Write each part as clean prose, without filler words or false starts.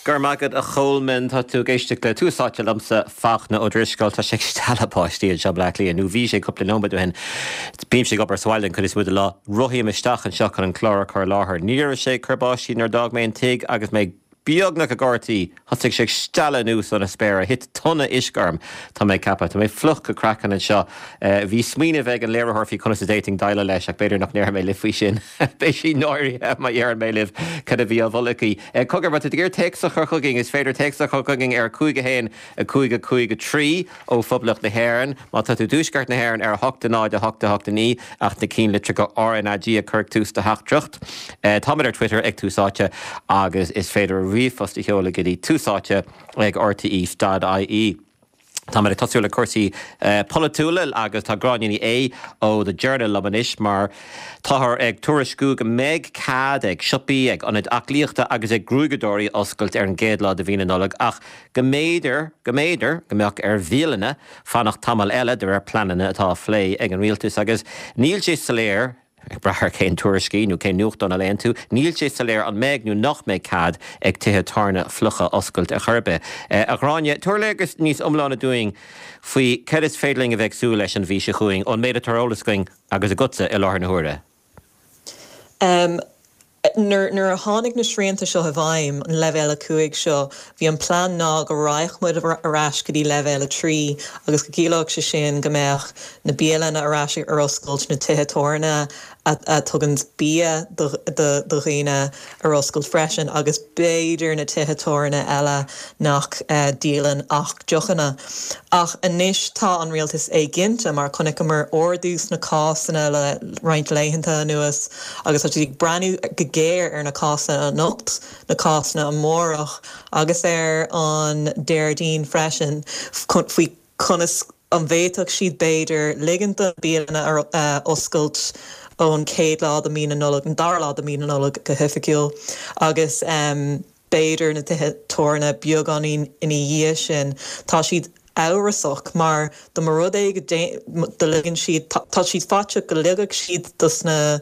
Go raibh maith agat a Cholmáin. Tá tú ag éisteacht le Tús Áite liomsa, Fachtna Ó Drisceoil. Tá sé ag stealladh báistí anseo i mBleá Cliath, nó bhí sé cúpla nóiméad ó shin. Bímse ag obair sa bhaile an chuid is mó de lá. Rothaím isteach anseo chun an clár a chur i láthair. Ní raibh sé ag cur báistí nuair a d'fhág mé an tigh agus mé beagnach i gcarr an tí. Thosaigh sé ag stealladh anuas ó na spéartha. Thit tonna uisce orm, tá mé ag ceapadh. Tá mé fliuch go craiceann anseo. Bhí smaoineamh ag an léiritheoir faoi conas a d'fhéadfainn déileáil leis ach b'fhéidir nach ndéarfaidh mé libh faoi sin. Beidh sí náirithe má dheireann mé libh cad a bhí á mholadh aici. Cogar, má tá tú ag iarraidh téacs a chur chugainn, is féidir téacs a chur chugainn ar 5 1 5 5 3 ó Phoblacht na hÉireann. Má tá tú i dTuaisceart na hÉireann ar 8 0 8 8 9 ach na cinnlitreacha RnaG a chur ag tús do theachtaireacht. Táimid ar Twitter ag Tús Áite agus is féidir ríomhphost a sheoladh go dtí túsáite ag rte.ie. Táimid ag tosú le cúrsaí polaitiúla agus tá Gráinne Ní Aodha ó The Journal liom anois mar táthar ag tuairisciú go mbeidh cead ag siopaí, ag ionaid aclaíochta agus ag gruaigeadóirí oscailt ar an gcéad lá de mhí na Nollag ach go mb'fhéidir, go mb'fhéidir go mbeadh ar bhialanna fanacht tamall eile de réir pleananna atá á phlé ag an rialtas agus níl sé soiléir Ag brath ar cén tuairiscí nó cén nuachtán a léann tú, níl sé soiléir an mbeidh nó nach mbeidh cead ag tithe tábhairne fliucha oscailt ar chor ar bith. A Ghráinne, tabhair léargas níos iomláine dúinn faoi céard is féidir linn a bheith ag súil leis an mhí seo chugainn, ón méid atá ar eolas againn agus agatsa i láthair na huaire. Nuair a tháinig na srianta seo i bhfeidhm, an leibhéal 5 seo, bhí an plean ná go raghadh muid ar ais go dtí leibhéal 3 agus go gciallódh sé sin go mbeadh na bialanna ar ais ar oscailt, na tithe tábhairne a tugann bia do dhaoine ar oscailt freisin agus b'fhéidir na tithe tábhairne eile nach díolann ach deochanna. Ach anois tá an rialtas éiginnte mar chonaiceamar ardú sna cásanna le roinnt laethanta anuas. Agus tá siad ag breathnú go géar ar na cásanna anocht, na cásanna amárach agus ar an Déardaoin freisin faoi conas an bhféadfadh siad b'fhéidir ligint do na bialanna oscailt ón chéad lá de mhí na Nollag, an dara lá de mhí na Nollag go hoifigiúil, agus b'fhéidir na tithe tábhairne beagáinín ina dhiaidh sin. Tá siad amhrasach mar dá mba rud é go ligeann siad, tá siad faiteach go ligfeadh siad dos na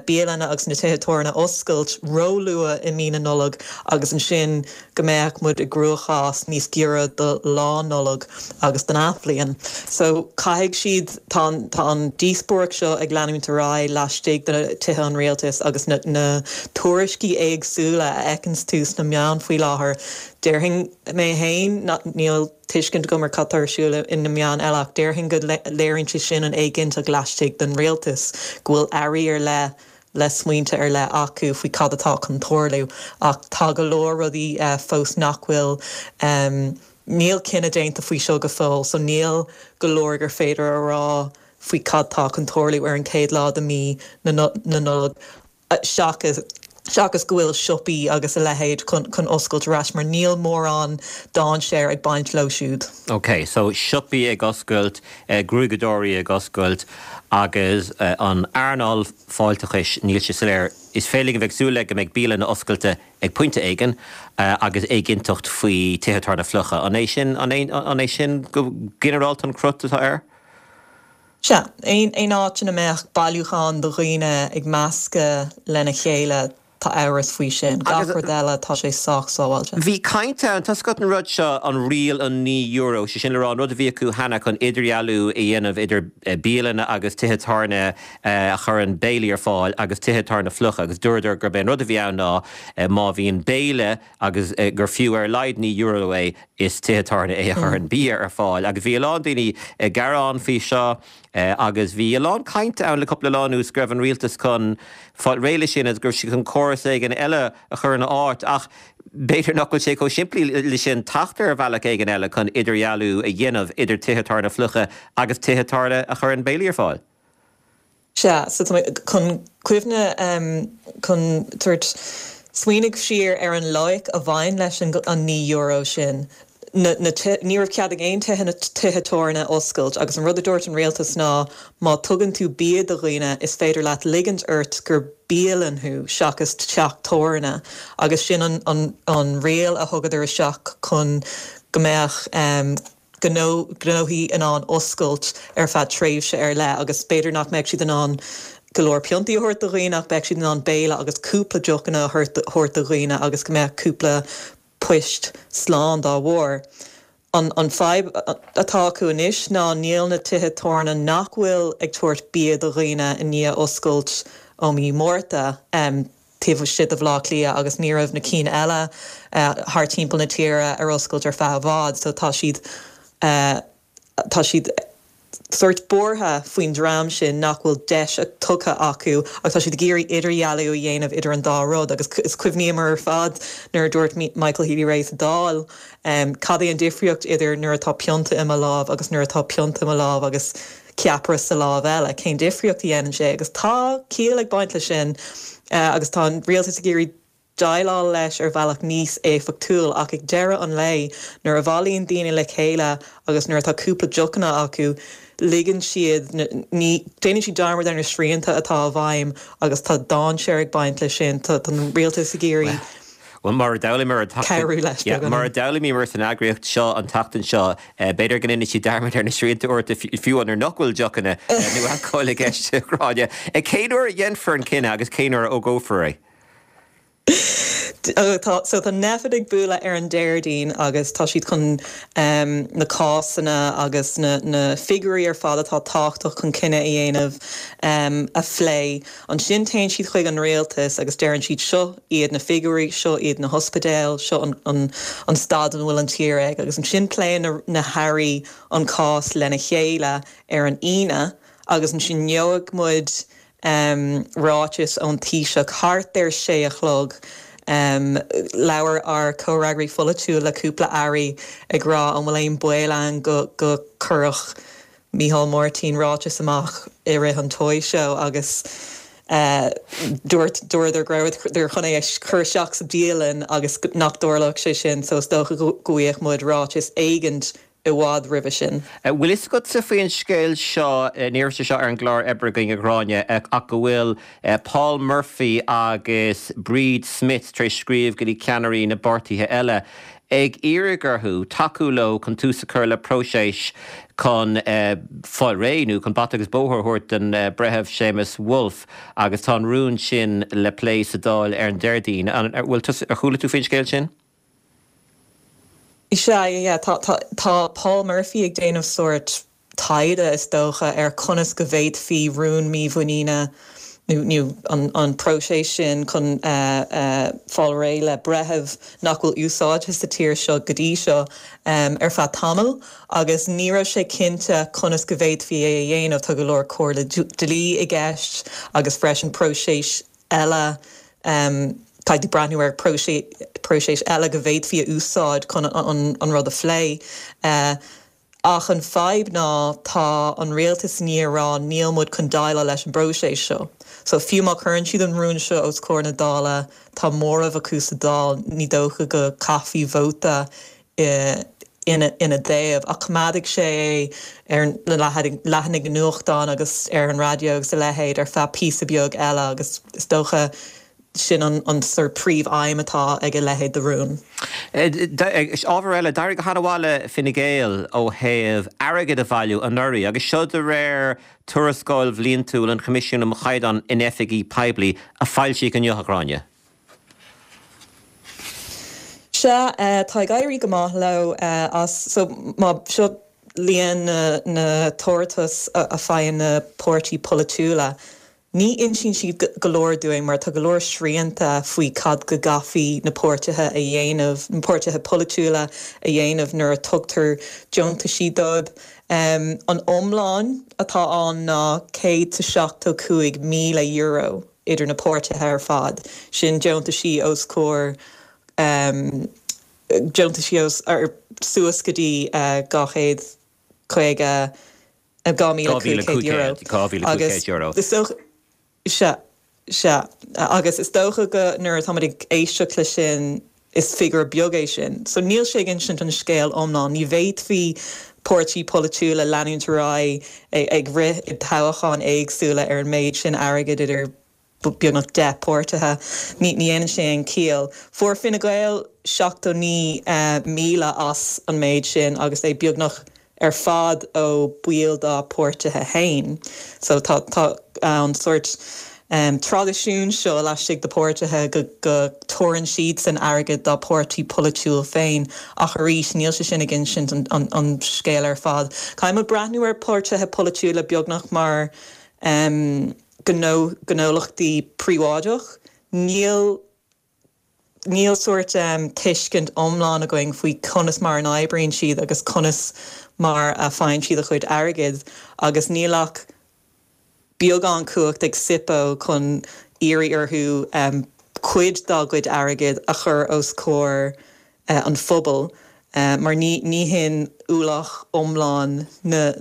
bialanna agus na tithe tábhairne oscailt róluath i mí na Nollag agus ansin go mbeadh muid i gcruachás níos giorra do Lá Nollag agus don Athbhliain. So caithfidh siad, tá an, tá an díospóireacht seo ag leanúint ar aghaidh laistigh de Tithe an Rialtais agus na, na tuairiscí éagsúla a fheiceanns tú sna meáin faoi láthair, déarfainn, Mé féin, níl tuiscint agam ar cad tá ar siúl i na meáin eile ach déarfainn go léiríonn sé sin an éiginnteacht laistigh den rialtas, go bhfuil airí ar leith le smaointe ar leith acu faoi cad atá chun tarlú. Ach tá go leor rudaí fós nach bhfuil, níl cinneadh déanta faoi seo go fóill so níl go leor gur féidir a rá faoi cad tá chun tarlú ar an chéad lá de mí na Nollag. seachas seachas go bhfuil siopaí agus a leithéid chun chun oscailt ar ais mar níl mórán dainséar ag baint leo siúd. Ok, so siopaí ag oscailt, gruaigeadóirí ag oscailt agus an earnáil fáilteachais, níl sé soiléir. Is féidir linn a bheith ag súil le go mbeidh bialanna oscailte ag pointe éigin agus éiginnteacht faoi tithe tábhairne fliucha. An é sin, an é, an é sin go ginearálta an crut atá air? Sea, aon áit ina mbeadh bailiúchán de dhaoine ag meascadh lena chéile, tá amhras faoi sin. Gach rud eile, tá sé sách sábháilte. Bhí caint ann, tá a fhios agat an rud seo, an riail an €9, sé sin le rá an rud a bhí acu cheana chun idirdhealú a dhéanamh idir bialanna agus tithe tábhairne a chuireann béilí ar fáil agus tithe tábhairne fliucha agus dúradar gurb é an rud a bhí ann ná má bhíonn béile agus gur fiú ar a laghad €9 é, is tithe tábhairne é a chuireann bia ar fáil. Agus bhí a lán daoine ag gearán faoi seo agus bhí a lán cainte ann le cúpla lá anuas go raibh an rialtas chun fáil réidh leis sin agus go raibh siad chun córas éigin eile a chur ina áit. Ach b'fhéidir nach bhfuil sé chomh simplí le sin teacht ar bhealach éigin eile chun idirdhealú a dhéanamh idir tithe tábhairne fliucha agus tithe tábhairne a chuireann béilí ar fáil. Sea, so tá mé chun cuimhne, chun tabhairt, smaoinigh siar ar an loighic a bhain leis an €9 sin. Na, na, ní raibh cead ag aon tithe, na tithe tábhairne oscailt agus an rud a dúirt an rialtas ná má tugann tú bia do dhaoine is féidir leat ligint ort gur bialann thú seachas teach tábhairne agus sin an, an, an riail a thugadar isteach chun go mbeadh, gnó, gnóthaí in ann oscailt ar feadh tréimhse ar leith agus b'fhéidir nach mbeadh siad in ann go leor piontaí a thabhairt do dhaoine ach beidh siad in ann béile agus cúpla deochanna a thabhairt do dhaoine agus go mbeadh cúpla. poist slán dá bharr. An an fadhb atá acu anois ná níl na tithe tabhairne nach bhfuil ag tabhairt bia do dhaoine i ndiaidh oscailt ó mhí Márta taobh istigh de Bhaile Átha Cliath agus ní raibh na cinn eile thar timpeall na tíre ar oscailt ar feadh i bhfad so tá siad tá siad sórt buartha faoin dream sin nach bhfuil deis tugtha acu agus tá siad ag iarraidh idirdhealú a dhéanamh idir an dá rud agus is cuimhníomar ar fad nuair a dúirt Michael Healy-Rae sa Dáil cad é an difríocht idir nuair atá pionta i mo lámh agus nuair atá pionta i mo lámh agus ceapaire sa lámh eile, cén difríocht a dhéanann sé agus tá ciall ag baint leis sin agus tá an rialtas ag iarraidh déileáil leis ar bhealach níos éifeachtúil ach ag deireadh an lae nuair a bhailíonn daoine le chéile agus nuair atá cúpla deochanna acu ligeann siad ní déanann siad dearmad ar na srianta atá i bhfeidhm agus tá dainséar ag baint leis sin. Tá an rialtas ag iarraidh Bhuel, mar a d'fhoghlaimíomar an tseachtain, leis yeah, mar a d'fhoghlaimíomar san eagraíocht seo an tseachtain seo, b'fhéidir go ndéanann siad dearmad ar na srianta uaireanta fiú nuair nach bhfuil deochanna nó alcól i gceist, a Ghráinne. Cén uair a dhéanfar an cinneadh agus cén uair a fhógrófar é? Tá, so tá Nphet ag bualadh ar an Déardaoin agus tá siad chun na cásanna agus na na figiúirí ar fad atá tábhachtach chun cinneadh a dhéanamh a phlé. Ansin téann siad chuig an rialtas agus deireann siad seo iad na figiúirí, seo iad na hospidéil, seo an an an staid ina bhfuil an tír ag agus ansin pléann na na hairí an cás lena chéile ar an Aoine agus ansin gheobhaidh muid ráiteas ón Taoiseach thart ar sé a chlog. Labhair ár comhfhreagraí pholaitiúil le cúpla airí ag rá an bhfuil aon baol ann go go gcuirfeadh Micheál Martin ráiteas amach i rith an Toy Show agus dúirt dúradar go rabhadar chun é a chur isteach sa dialann agus nach dtarlódh sé sin so is dócha go bhfaighidh muid ráiteas éigint i bhfad roimhe sin. Bhfuil fhios agatsa faoin scéal seo, ní raibh sé seo ar an gclár oibre againn a Ghráinne, ach go bhfuil Paul Murphy agus Bríd Smith tar éis scríobh go dtí ceannairí na bpáirtithe eile ag iarraidh orthu tacú leo chun tús a chur le próiseas chun fáil réidh nó chun bata agus bóthar a thabhairt don Bhreitheamh Séamus Woulfe agus tá an rún sin le plé sa Dáil ar an Déardaoin. An bhfuil tusa, ar chuala tú faoin scéal sin? Sea, yeah, tá, tá, tá Paul Murphy ag déanamh sórt taighde, is dócha, ar conas go bhféadfaí rún mímhuiníne nó, nó an, an próiseas sin chun fáil réidh le breitheamh nach bhfuil úsáidte sa tír seo go dtí seo ar feadh tamaill agus ní raibh sé cinnte conas go bhféadfaí é a dhéanamh. Tá go leor comhairle dlí i gceist agus freisin próiseas eile, caithfidh tú breathnú ar próiseas eile go bhféadfaí a úsáid chun an rud a phlé. Ach an fadhb ná tá an rialtas i ndiaidh a rá níl muid chun déileáil leis an bpróiseas seo. So fiú má chuireann siad an rún seo os comhair na Dála, tá móramh acu sa Dáil, ní dócha go gcaithfí vóta ina dtaobh, ach coimeádfaidh sé é ar na leathanaigh nuachtáin agus ar an raidió agus a leithéid ar feadh píosa beag eile agus is dócha sin an sórt príomh-aidhm atá ag a leithéid de rún. Ábhar eile, d'éirigh go han-mhaith le Fine Gael ó thaobh airgead a bhailiú anuraidh agus seo de réir tuarascáil bhliantúil an Choimisiúin um Chaighdeán in Oifigí Poiblí a foilsíodh inniu, a Ghráinne. Sea, tá ag éirí go maith leo as so má seo líon na tabhartas a faigheann na páirtí polaitiúla. Ní insíonn siad go leor dúinn mar tá go leor srianta faoi cad go gcaithfí na páirtithe a dhéanamh, na páirtithe polaitiúla a dhéanamh nuair a tugtar deontaisí dóibh. An iomlán atá ann ná €175,000. idir na páirtithe ar fad, sin deontaisí os comhair deontaisí os suas go dtí 250, €2,500 agus is dócha, sea, sea, agus is dócha go nuair atáimid ag éisteacht le sin Is figiúr beag é sin. So níl sé ag insint an scéal iomlán. Ní bhféadfaí páirtí polaitiúla leanúint ar aghaidh ag rith i dtoghcháin éagsúla ar an méid sin airgid idir beagnach 10 páirtithe. Ní dhéanann sé aon chiall. Fuair Fine Gael 79,000 as an méid sin agus é beagnach ar fad ó baill dá páirtithe féin. So tá tá an sórt. Traidisiún seo laistigh de páirtithe go dtabharann siadsan airgead dá páirtí polaitiúil féin ach arís níl sé sin ag insint an scéal ar fad. Caithfidh muid breathnú ar páirtithe polaitiúla beagnach mar gnólachtaí príobháideach. Níl Níl sórt tuiscint iomlán againn faoi conas mar a n-oibríonn siad agus conas mar a faigheann siad a chuid airgid agus níl ach beagán cumhacht ag SIPO chun iarraidh orthu cuid dá gcuid airgid a chur os comhair an phobail mar ní hin ualach iomlán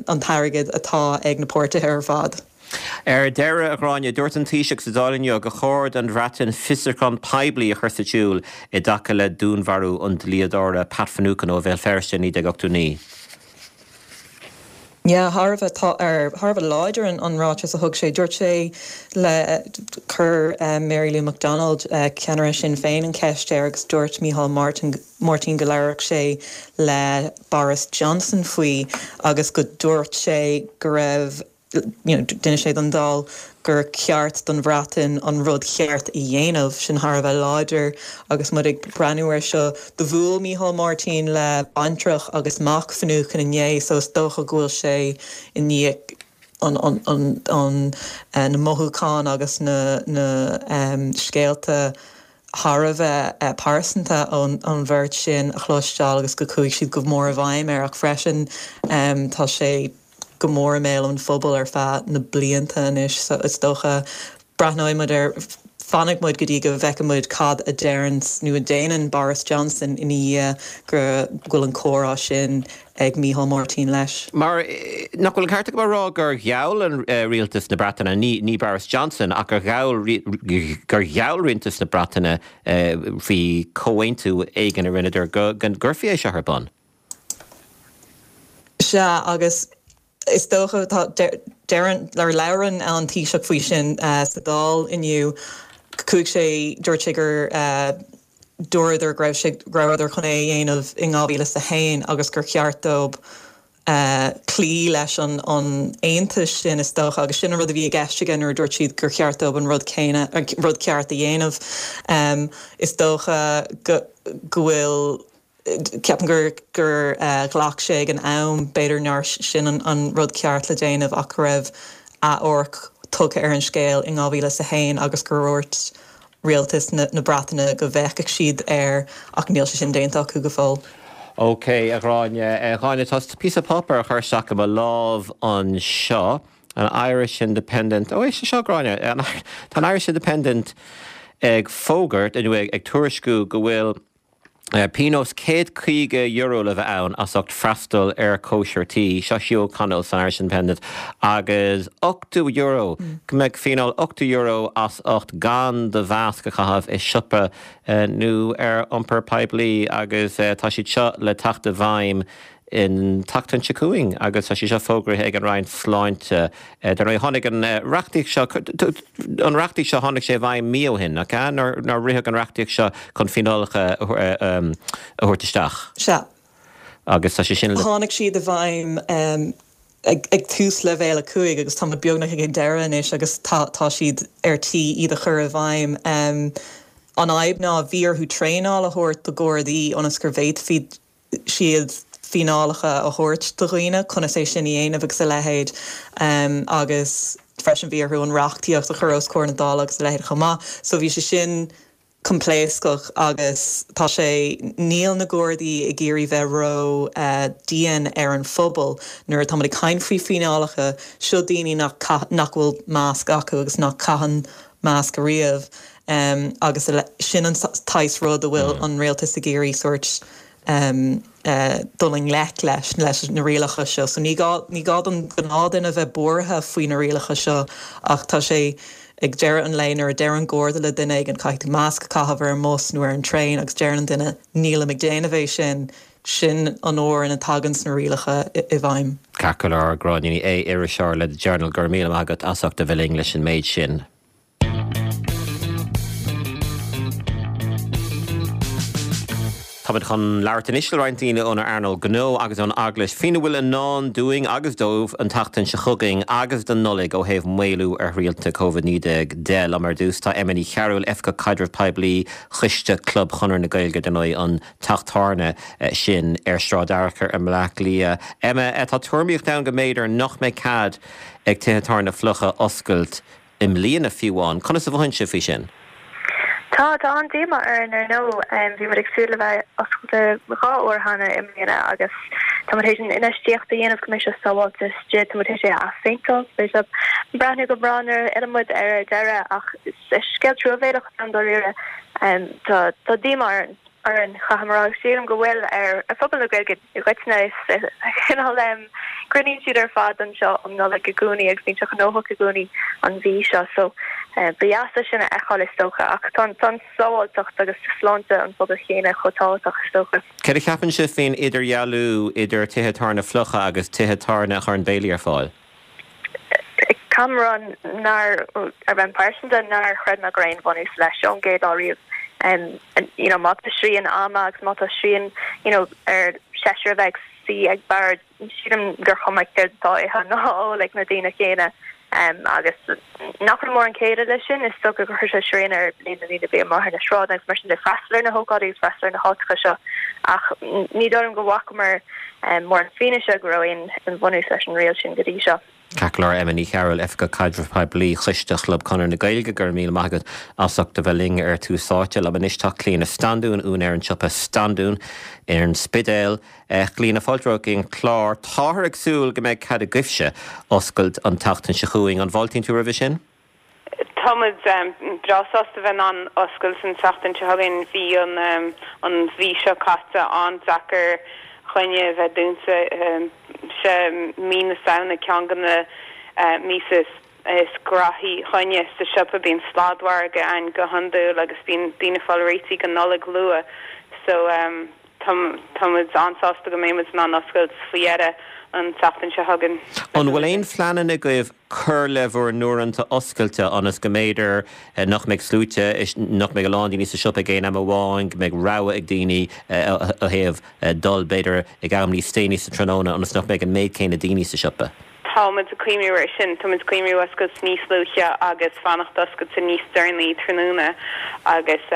an t-airgead atá ag na páirtithe ar fad. Ar deireadh, a Ghráinne, dúirt an Taoiseach sa Dáil inniu gur chóir don Bhreatain fiosrúchán poiblí a chur sa tsiúl i dtaca le dúnmharú an dlíodóra Pat Finucane ó Bhéal Feirste i 1989. Yeah, thar a bheith, tá, ar, thar a bheith láidir an, an ráiteas a thug sé. Dúirt sé le, chuir Mary Lou McDonald, ceannaire Sinn Féin an cheist air agus dúirt Micheál Martin, Máirtín go labharfadh sé le Boris Johnson faoi agus go dúirt sé go raibh, you know, d'inis sé don Dáil gur ceart don Bhreatain an rud cheart a dhéanamh. Sin thar a bheith láidir agus muid ag breathnú air seo. Do bhuail Micheál Martin le baintreach agus mac Finucane inné so is dócha go bhfuil sé i ndiaidh an, an, an, na mothúcháin agus na, na scéalta thar a bheith pearsanta ón bheirt sin a chloisteáil agus go chuaigh siad go mór i bhfeidhm air ach freisin tá sé go mór i mbéal an phobail ar feadh na blianta anois so is dócha breathnóidh muid air, fanfaidh muid go dtí go bhfeicfidh muid cad a deireann nó a déanann Boris Johnson ina dhiaidh go bhfuil an comhrá sin ag Micheál Martin leis. Mar nach bhfuil an ceart agam a rá gur gheall an rialtas na Breataine, ní Boris Johnson, ach gur gheall gur gheall rialtas na Breataine faoi chomhaontú éigin a rinneadar go gcuirfí é seo ar bun? Sea, agus is dócha, tá, deireann, or labhrann an Taoiseach faoi sin sa Dáil inniu. Chuaigh sé, dúirt sé gur dúradar go raibh sé, go rabhadar chun é a dhéanamh in 2001 agus gur cheart dóibh cloí leis an aontas sin, is dócha, agus sin an rud a bhí i gceist aige nuair a dúirt siad gur cheart dóibh an rud céanna, rud ceart a dhéanamh. Is dócha go bhfuil. Ceapaim gur gur ghlac sé ag an am, b'fhéidir nár sin an rud ceart le déanamh ach go raibh athamharc tugtha ar an scéal in 2001 agus gur dhúirt rialtas na Breataine go bhféachfadh siad air ach níl sé sin déanta acu go fóill. OK, a Ghráinne. A Ghráinne, tá píosa páipéir á chur isteach i mo lámh anseo, an Irish Independent, ó éist leis seo, a Ghráinne, tá an Irish Independent ag fógairt, nó ag tuairisciú go bhfuil, Pionós €150 le bheith ann as ucht freastal ar chóisir tí, seo Hugh O'Connell san Irish Independent, agus €80, go mbeadh fíneáil €80 as ucht gan do mhasc a chaitheamh i siopa nó ar iompar poiblí agus tá siad seo le teacht i bhfeidhm an tseachtain seo chugainn agus tá sé seo fógraithe ag an Roinn Sláinte. Dar ndóigh, tháinig an reachtaíocht seo, an reachtaíocht seo, tháinig sé i bhfeidhm mí ó shin, nach ea? Nuair a ritheadh an reachtaíocht seo chun fíneálacha a thabhairt isteach. Sea. Agus tá sé sin le. Tháinig siad i bhfeidhm ag tús leibhéal 5 agus tá muid beagnach ag an deireadh anois agus tá siad ar tí iad a chur i bhfeidhm. An fhadhb ná bhí orthu traenáil a thabhairt do Ghardaí ionas gur bhféadfaí siad fíneálacha a thabhairt do dhaoine, conas é sin a dhéanamh agus a leithéid agus freisin bhí orthu an reachtaíocht a chur os comhair na Dála agus a leithéid chomh maith. So bhí sé sin coimpléascach agus tá sé, níl na Gardaí ag iarraidh bheith ró dian ar an phobal nuair atá muid ag caint faoi fíneálacha, seo daoine nach nach bhfuil masc acu agus nach caitheann masc ariamh agus sin an saghas rud a bhfuil an rialtas ag iarraidh sórt dul i ngleic leis, leis na rialacha seo. So ní gá, ní gá don ghnáthdhuine bheith buartha faoi na rialacha seo ach tá sé ag deireadh an lae nuair a deir an Garda le duine éigin caithfidh tú masc a chaitheamh ar an mbus nó ar an traein agus deireann an duine nílim ag déanamh é sin, sin an uair ina dtagann na rialacha i bhfeidhm. Ceart go leor, Gráinne Ní Aodha, iriseoir le The Journal, go raibh míle maith agat as ucht a bheith linn leis an méid sin. Táimid chun labhairt anois le roinnt daoine ón earnáil gnó agus ón Eaglais faoina bhfuil i ndán dúinn agus dóibh an tseachtain seo chugainn agus don Nollaig ó thaobh maolú ar shrianta Covid-19 de. Liom ar dtús tá Emma Ní Chearúil, Oifigeach Caidrimh Poiblí Choiste Club Chonradh na Gaeilge, dar ndóigh an teach tábhairne sin ar Shráid Fhearchair i mBleá Cliath. Emma, tá tuairimíocht ann go mb'fhéidir nach mbeidh cead ag tithe tábhairne fliucha oscailt i mbliana fiú amháin. Conas a mhothaíonn sibh faoi sin? Tá, tá an-díomá orainn ar ndóigh. Bhí muid ag súil le bheith oscailte 2 uair cheana i mbliana agus tá muid théis an infheistíocht a dhéanamh go mbeidh sé sábháilte istigh, tá muid théis é a athphéinteáil, beidh sé ag breathnú go breá nuair a fhilleann muid ar ar deireadh ach is scéal truamhéalach atá ann dáiríre. Tá, tá díomá orainn, orainn, caithfidh mé a rá agus sílim go bhfuil ar phobal na Gaeilge i gcoitinne. Is cineál cruinníonn siad ar fad anseo um Nollaig i gcónaí agus bíonn sé gnóthach i gcónaí an mhí seo so ba dheas é sin a fheiceáil is dócha ach tá an sábháilteacht agus sláinte an phobail chéanna chomh tábhachtach is dócha. Céard a cheapann sibh faoin idirdhealú idir tithe tábhairne fliucha agus tithe tábhairne a chuireann béilí ar fáil? Caithfidh mé a rá nár, ar bhonn pearsanta, nár chreid mé go raibh aon bhunús leis ón gcéad lá riamh. You know, má tá srian ama agus má tá srian, you know, ar seisear a bheith ag suí ag bord, sílim gur chuma céard atá á ithe ná á ól ag na daoine céanna. Agus nach raibh mórán céille leis sin, is dócha gur chuir sé srian ar líon na ndaoine a bhí amuigh ar na sráideanna agus mar sin de, freastal ar na hócáidí agus freastal ar na háiteacha seo. Ach ní dóigh liom go bhfacamar mórán fianaise go raibh aon bhunús leis an riail sin go dtí seo. Ceart go leor, Emma Ní Chearúil, Oifigeach Caidrimh Poiblí Choiste Chlub Chonradh na Gaeilge, go raibh míle maith agat as ucht a bheith linn ar Tús Áite. Liom anois tá Clíona Standún, úinéir an tsiopa Standún ar an Spidéal. A Chlíona, fáilte romhat go dtí an clár. Táthar ag súil go mbeidh cead agaibhse oscailt an tseachtain seo chugainn. An bhfáiltíonn tú roimhe sin? Tá muid breá sásta bheith in ann oscailt an tseachtain seo chugainn. Bhí an an mhí seo caite an-deacair dhúinne a bheith dúnta. Sé mí na Samhna ceann de na míosa is graithí dhúinne sa siopa. Bíonn sladmhargadh ann go hiondúil agus bíonn daoine ag fáil réitithe don Nollaig luath. So tá tá muid an-sásta go mbeidh muid in ann oscailt faoi dheireadh an tseachtain seo chugainn. An bhfuil aon phleananna agaibh cur le bhur n-uaireanta oscailte ionas go mb'fhéidir nach mbeidh sluaite, nach mbeidh a lán daoine sa siopa ag aon am amháin, go mbeidh rogha ag daoine ó thaobh dul b'fhéidir ag am níos déanaí sa tráthnóna ionas nach mbeidh an méid céanna daoine sa siopa? Tá muid ag cuimhniú air sin. Tá muid ag cuimhniú oscailt níos luaithe agus fanacht oscailte níos deireanaí tráthnóna agus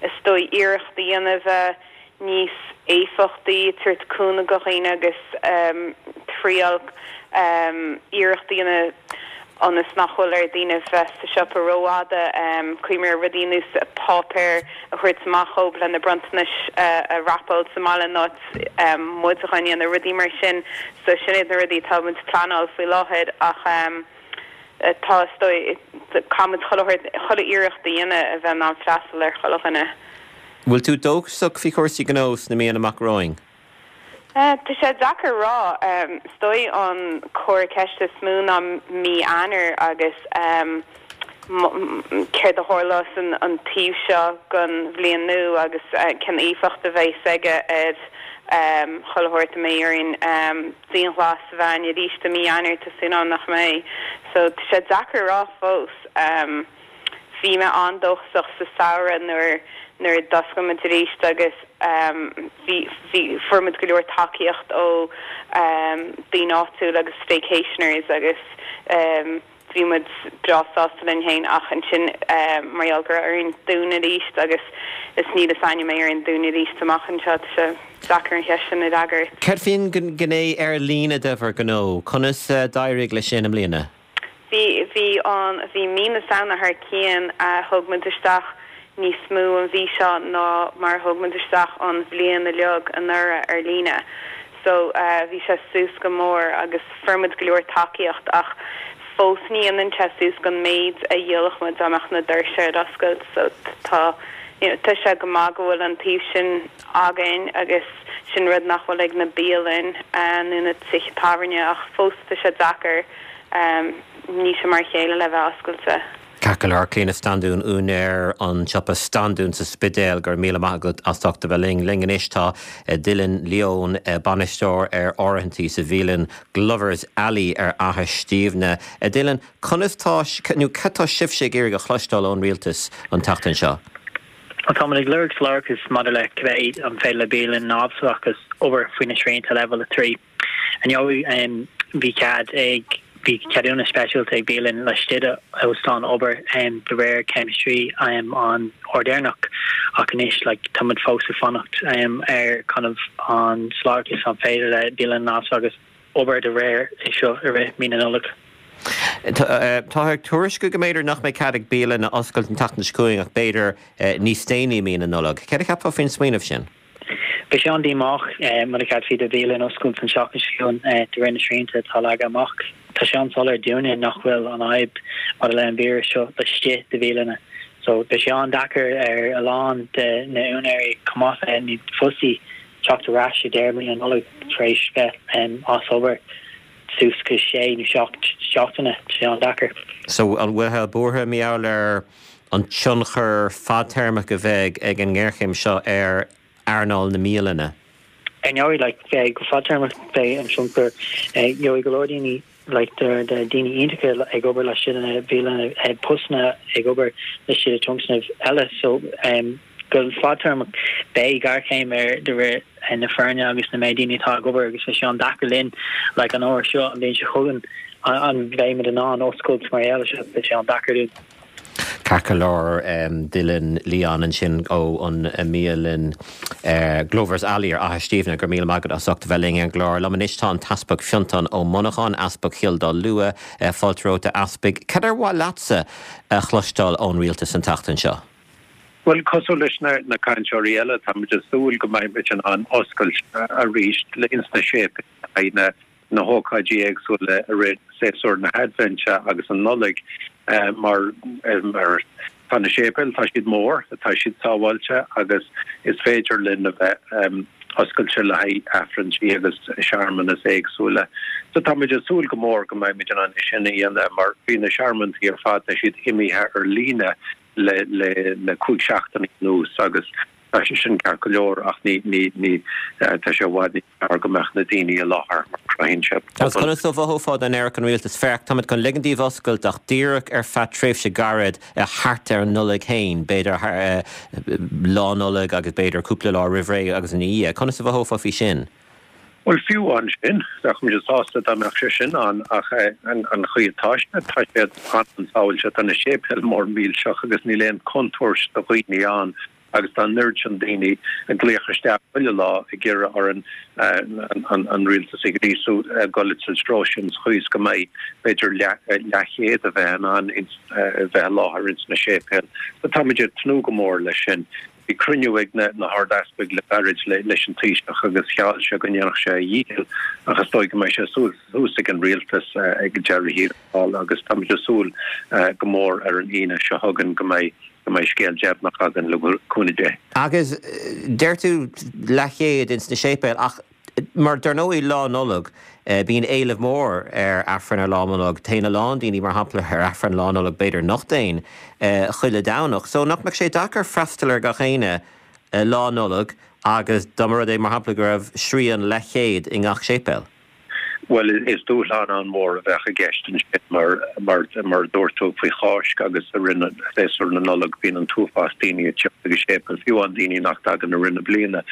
is dóigh iarracht a dhéanamh bheith níos éifeachtaí, tabhairt cúnamh do dhaoine agus triail iarracht a dhéanamh ionas nach bhfuil ar daoine bheith sa siopa rófhada, cuimhniú ar rudaí ar nós páipéar a thabhairt amach dhóibh lena bronntanais a wrapáil sa mbaile in áit muid a dhéanamh, rudaí mar sin. So sin iad na rudaí atá muid ag pleanáil faoi láthair ach tá, is dóigh, caithfidh muid chuile shórt, chuile iarracht a dhéanamh a bheith in ann freastal ar chuile dhuine. Bhfuil tú dóchasach faoi chúrsaí gnó sna míonna amach romhainn? Tá sé deacair a rá. Is dóigh an comhartha ceiste is mó ná mí Eanáir agus céard a tharlós an taobh seo den bhliain nua agus cén éifeacht a bheas aige ar chuile shórt. An mbeidh orainn dianghlas a bheith ann arís i mí Eanáir? Tá súil agam nach mbeidh. So tá sé deacair a rá fós. Bhí mé an-dóchasach sa samhradh nuair nuair a d'oscail muid arís agus bhí bhí fuair muid go leor tacaíocht ó daoine áitiúil agus staycationers agus bhí muid breá sásta linn féin ach ansin mar gheall go raibh orainn dúnadh arís agus is níl a fhios againn an mbeidh orainn dúnadh arís amach anseo tá sé deacair an cheist sin a fhreagairt. Céard faoin ngné ar líne de bhur ngnó? Conas a d'éirigh leis sin i mbliana? Bhí, bhí an, bhí mí na Samhna thar cionn, thóg muid isteach níos mó an mhí seo ná mar a thóg muid isteach an bhliain uilig anuraidh ar líne. So, bhí sé suas go mór agus fuair muid go leor tacaíocht ach fós ní dhéanann sé suas don méid a dhíolfadh muid dá mbeadh na doirse ar oscailt. So, tá, you know, tá sé go maith go bhfuil an taobh sin againn agus sin rud nach bhfuil ag na bialanna nó na tithe tábhairne ach fós tá sé deacair. Níl sé mar a chéile le bheith oscailte. Ceart go leor, Clíona Standún, úinéir an tsiopa Standún sa Spidéal, go raibh míle maith agat as ucht a bheith linn. Linn anois tá Dylan Leone, bainisteoir ar áirithintí sa bhialann Glovers Alley ar Fhaiche Stiabhna. Dylan, conas tá, nó cad tá sibhse ag iarraidh a chloisteáil ón rialtas an tseachtain seo? Bhuel, táimid ag lorg soiléireachas maidir le cibé an féidir le bialann neamhspleáchas obair faoi na srianta Leibhéal 3. Ar ndóigh, bhí cead ag bhí ceadúnas speisialta ag bialann laistigh d'óstán obair de réir céim 3 an uair deireanach ach anois like táimid fós ag fanacht ar kind of an soiléireachas an féidir le bialann neamhspleáchas obair de réir é seo i rith mí na Nollag. Táthar ag tuairisciú go mb'fhéidir nach mbeidh cead ag bialanna oscailt an tseachtain seo chugainn ach b'fhéidir níos déanaí i mí na Nollag. Céard a cheapfá faoin smaoineamh sin? Beidh sé an-díomách mura gceadófaí do bhialann oscailt an tseachtain seo chugainn de réir na srianta atá leagtha amach. Tá sé an-soiléir dúinne nach bhfuil an fhadhb maidir le an víreas seo laistigh de bhialanna so beidh sé an-deacair ar a lán de na úinéirí chomh maith le na fostaithe teacht ar ais i deireadh mí na Nollag tar éis bheith as obair suas go sé nó 7 seachtaine. Tá sé an-deacair. So an bhfuil tú buartha mar gheall ar an tionchar fadtéarmach a bheidh ag an ngéarchéim seo ar earnáil na mbialanna? Ar ndóigh, like, beidh go fadtéarmach beidh an tionchar, gheobhaidh go leor daoine like de daoine iontacha ag obair laistigh de na bialanna, postanna ag obair laistigh de tionscnaimh eile so go fadtéarmach beidh géarchéim ar de réir na foirne agus na méid daoine atá ag obair agus beidh sé an-deacair linn like an uair seo an bhliain seo chugainn an mbeimid in ann oscailt mar gheall air seo beidh sé an-deacair dúinn. Ceart go leor, Dylan Leon ansin ó an mbialann Glover's Alley ar Fhaiche Stiabhna, go raibh míle maith agat as ucht a bheith linn ar an gclár. Liom anois tá an tEaspag Fionntán Ó Monacháin, Easpag Chill Dá Lua. Fáilte romhat a Easpaig. Cad ar mhaith leatsa a chloisteáil ón rialtas an tseachtain seo? Bhuel, cosúil leis na cainteoirí eile, táimid ag súil go mbeimid in ann oscailt arís ins na séipéil le haghaidh na na hócáidí éagsúla i rith séasúr na hAidbhinte agus an Nollaig mar tá na séipéil, tá siad mór, tá siad sábháilte agus is féidir linn a bheith oscailte le haghaidh Aifrinntí agus searmanas éagsúla. So táimid ag súil go mór go mbeimid in ann é sin a dhéanamh mar bhí na searmantaí ar fad, tá siad imithe ar líne le le 5 seachtaine anuas agus tá sé sin ceart go leor ach ní ní ní tá sé i bhfad níos fearr go mbeadh na daoine i láthair mar cruthaíonn sé Agus pobal. conas a mhothófá dá ndéarfadh an rialtas, féach, táimid chun ligean daoibh oscailt ach díreach ar feadh tréimhse gairid thart ar an Nollaig féin, b'fhéidir Lá Nollag agus b'fhéidir cúpla lá roimh ré agus ina dhiaidh. Conas a mhothófá faoi sin? Bhuel, fiú ansin, bheadh muid sásta dá mbeadh sé sin ann ach an chaoi atá sé, tá sé an-ansábhailte, tá na séipéil mór millteach agus níl aon chontúirt do dhaoine ann agus tá an oiread sin daoine ag glaoch isteach chuile lá ag iarraidh orainn an rialtas a ghríosú dul sa treo sin sa chaoi is go mbeidh b'fhéidir leathchéad a bheith in ann a bheith i láthair ins na séipéil. So tá muid ag tnúth go mór leis sin. Bhí cruinniú ag na hArd-Easpaig le gairid leis an Taoiseach agus gheall sé go ndéanfadh sé a dhícheall ach is dóigh go mbeidh sé suas ag an Rialtas ag deireadh thiar thall agus táimid ag súil go mór ar an Aoine seo chugainn go mbeidh go mbeidh scéal deimhneach againn le cúnamh Dé. Agus deir tú leathchéad ins na séipéil ach Mar dar ndóigh Lá Nollag, bíonn éileamh mór ar Aifreann ar Lá Nollag. Téann a lán daoine, mar shampla, ar Aifreann Lá Nollag b'fhéidir nach dtéann chuile Domhnach. So nach mbeadh sé deacair freastal ar gach éinne Lá Nollag agus dá mba rud é, mar shampla, go raibh srian leathchéad i ngach séipéal? Bhuel, is dúshlán an-mhór a bheadh i gceist ansin mar, mar a dúirt tú, faoi Cháisc agus i rith séasúr na Nollag bíonn an t-uafás daoine ag teacht ag an séipéal, fiú amháin daoine nach dtagann i rith na bliana.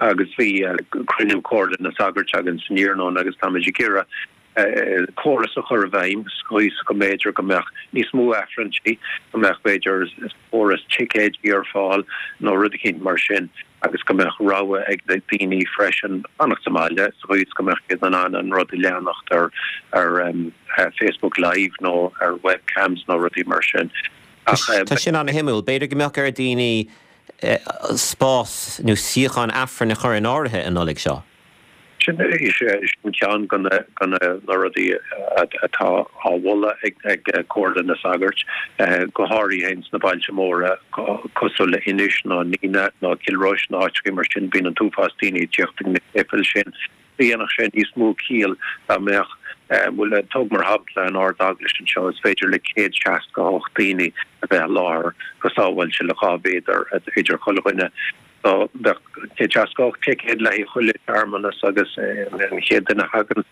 Agus bhí cruinniú Comhairle na Sagart againn san iarnóin agus táimid ag iarraidh córas a chur i bhfeidhm sa chaoi is go mb'fhéidir go mbeadh níos mó Aifrinntí, go mbeadh b'fhéidir córas ticéidí ar fáil nó rud eicínt mar sin agus go mbeadh rogha ag na daoine freisin fanacht sa mbaile sa chaoi is go mbeadh siad in ann an rud a leanacht ar ar Facebook Live nó ar webcams nó rudaí mar sin. Ach. Tá sin an-shuimiúil. B'fhéidir go mbeadh ar dhaoine spás nó suíocháin Aifrinn a chur in áirithe an Nollaig seo. Sin ceann de na rudaí atá á mholadh ag Comhairle na Sagart, go háirithe ins na bailte móra cosúil le Inis nó Nenagh nó Cill Rois nó áiteachaí mar sin. Bíonn an t-uafás daoine ag tíocht ag na séipéil sin. Dhéanfadh sé níos mó ciall dá mbeadh, bhuel, tóg mar shampla an Ard-Eaglais anseo, is féidir le 168 daoine a bheith i láthair go sábháilte le 2 mhéadar idir chuile dhuine. So bheadh 168 ticéad le haghaidh chuile shearmanas agus an chéad duine a thagann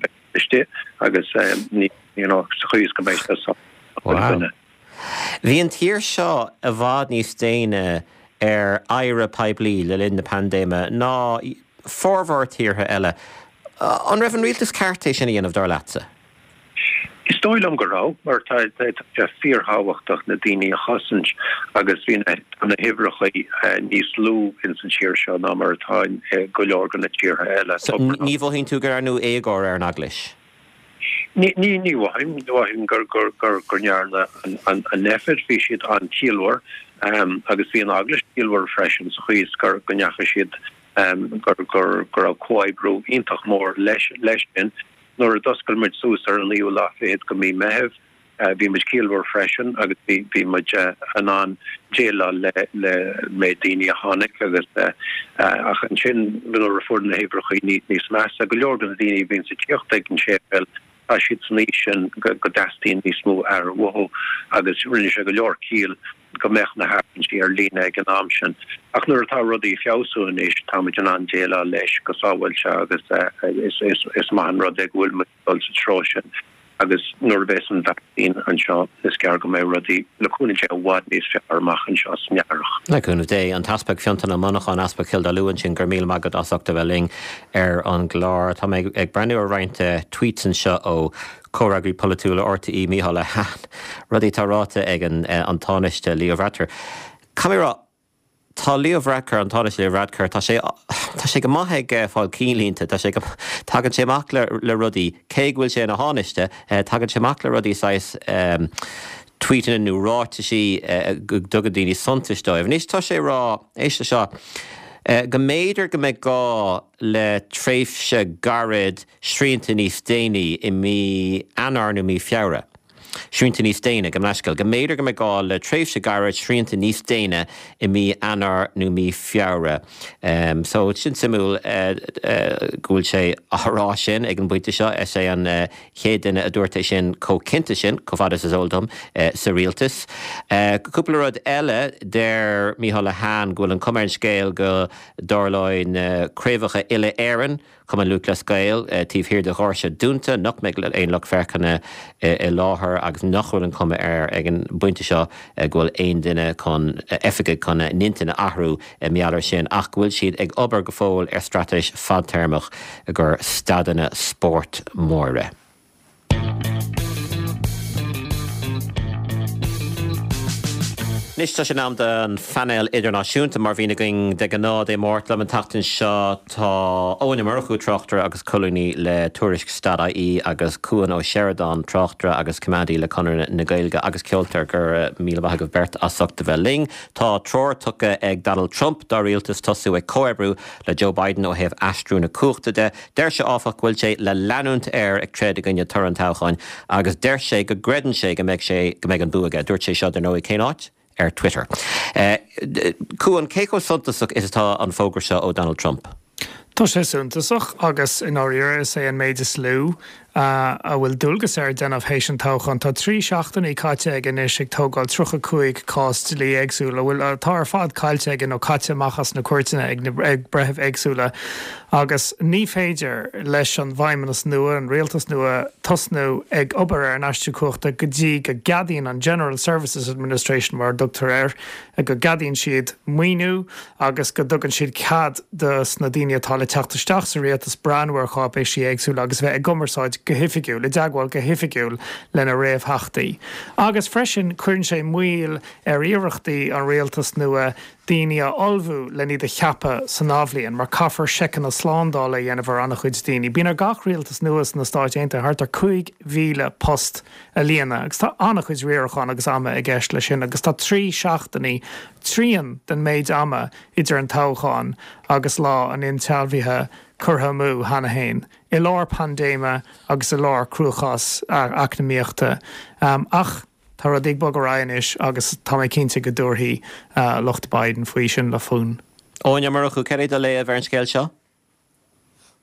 beidh istigh agus ní, you know, sa chaoi is go mbeidh sé sábháilte do chuile dhuine. Bhí an tír seo i bhfad níos déine ar adhradh poiblí le linn na paindéime ná formhór tíortha eile. An raibh an rialtas ceart é sin a dhéanamh, dar leatsa? Is dóigh liom go raibh, mar tá sé fíorthábhachtach na daoine a chosaint agus bhí na tá na huimhreacha níos lú ins an tír seo ná mar atá i go leor de na tíortha eile. So, ní mhothaíonn tú go ndearnadh éagóir ar an Eaglais? Ní ní ní mhothaím, ní mhothaím gur gur gur gur ndearna an an Nphet, bhí siad an-chiallmhar agus bhí an Eaglais ciallmhar freisin sa chaoi is gur go ndeachaigh siad gur gur go raibh comhoibriú iontach mór leis leis sin. Nuair a d'oscail muid suas ar an naoú lá fichead de mhí Meitheamh, bhí muid ciallmhar freisin agus bhí bhí muid in ann déileáil le le méid daoine a tháinig agus ach ansin nuair a fuair na huimhreacha níos measa, go leor de na daoine a bhíonns ag tíocht ag an séipéal, tá siad san aois sin go go dteastaíonn níos mó aire uathu agus rinne sé go leor ciall go mbeadh na hAifrinntí ar líne ag an am sin. Ach nuair atá rudaí ag feabhsú anois, táimid in ann déileáil leis go sábháilte agus is maith an rud é go bhfuil muid ag dul sa treo sin agus nuair a bheas an vacsaín anseo, is gearr go mbeidh rudaí, le cúnamh Dé, i bhfad níos fearr amach anseo san earrach. Le cúnamh Dé. An tEaspag Fionntán Ó Monacháin, Easpag Chill Dá Lua ansin, go raibh míle maith agat as ucht a bheith linn ar an gclár. Tá mé ag breathnú ar roinnt tweets anseo ó Comhfhreagraí polaitiúil RTÉ Micheál Lehane, rudaí atá ráite ag an Tánaiste Leo Varadkar. Caithfidh mé a rá, tá Leo Varadkar, an Tánaiste Leo Varadkar, tá sé, tá sé go maith ag fáil cinnlínte, tá sé go, tagann sé amach le, le rudaí, cé go bhfuil sé ina Thánaiste, tagann sé amach le rudaí saghas tweetanna nó ráitisí go dtugann daoine suntais dóibh. Anois tá sé ag rá, éist le seo, go mb'fhéidir go mbeidh gá le tréimhse gairid srianta níos déine i mí Eanáir nó mí Feabhra. Srianta níos déine, gabh mo leithscéal, go mb'fhéidir go mbeidh gá le tréimhse gairid srianta níos déine i mí Eanáir nó mí Feabhra. So, sin suimiúil go bhfuil sé á rá sin ag an bpointe seo. Is é an chéad duine a dúirt é sin chomh cinnte sin, chomh fada is is eol dom, sa rialtas. Cúpla rud eile, deir Micheál Lehane go bhfuil an chuma ar an scéal go dtarlóidh na craobhacha uile-Éireann, Cumann Lúthchleas Gael, taobh thiar de dhoirse dúnta, nach mbeidh aon lucht féachana i láthair agus nach bhfuil an chuma air ag an bpointe seo go bhfuil aon duine chun, oifigigh chun a n-intinn a athrú i ngeall air sin ach go bhfuil siad ag obair go fóill ar straitéis fadtéarmach i gcomhair staideanna spóirt móra. Anois tá sé in am don phainéal idirnáisiúnta mar a bhíonn againn de ghnáth Dé Máirt. Liom an tseachtain seo tá Eoin Ó Murchú, tráchtaire agus colúnaí le Tuairisc Stad-IE agus Cuan Ó Seireadáin, tráchtaire agus coimeádaí le Conradh na Gaeilge agus ceoltóir. Go raibh míle maith agaibh beirt as ucht a bheith linn. Tá treoir tugtha ag Donald Trump dá rialtas tosú ag comhoibriú le Joe Biden ó thaobh aistriú na cumhachta de. Deir sé, áfach, go bhfuil sé le leanúint air ag troid i gcoinne toradh an toghcháin agus deir sé go gcreideann sé go mbeidh sé, go mbeidh an bua aige. Dúirt sé seo, dar ndóigh, cén áit? Ar Twitter. Cuan, cé chomh suntasach is atá an fógra seo ó Donald Trump? Tá sé suntasach agus, i ndáiríre, is é an méid is lú a bhfuil dualgas air déanamh théis an toghcháin. Tá 3 seachtainí caite aige anois ag tógáil 35 cás dlí éagsúil, a bhfuil, atá ar fad caillte aige nó caite amach as na cúirteanna ag na, ag breithimh éagsúla agus ní féidir leis an bhfeidhmeannas nua, an rialtas nua, tosnú ag obair ar an aistriú cumhachta go dtí go gceadaíonn an General Services Administration, mar a dtugtar air, go gceadaíonn siad maoiniú agus go dtugann siad cead dos na daoine atá le teacht isteach sa rialtas breathnú ar cháipéisí éagsúla agus bheith i gcumarsáid go hoifigiúil, i dteagmháil go hoifigiúil lena réamhtheachtaí. Agus freisin cuireann sé moill ar iarrachtaí an rialtas nua daoine a ullmhú len iad a cheapadh san athbhliain, mar caithfear seiceanna slándála a dhéanamh ar an-chuid daoine. Bíonn ar gach rialtas nua sna Stáit Aontaithe thart ar 5,000 post a líonadh agus tá an-chuid riaracháin agus ama i gceist leis sin agus tá 3 seachtainí, trian den méid ama idir an toghchán agus lá an insealbhaithe curtha amú cheana féin, i lár paindéime agus i lár cruachás eacnamaíochta. Ach tá rudaí ag bogadh ar aghaidh anois agus tá mé cinnte go dtabharfaidh lucht Biden faoi sin le fonn. Eoin Ó Murchú, céard é do léamh ar an scéal seo?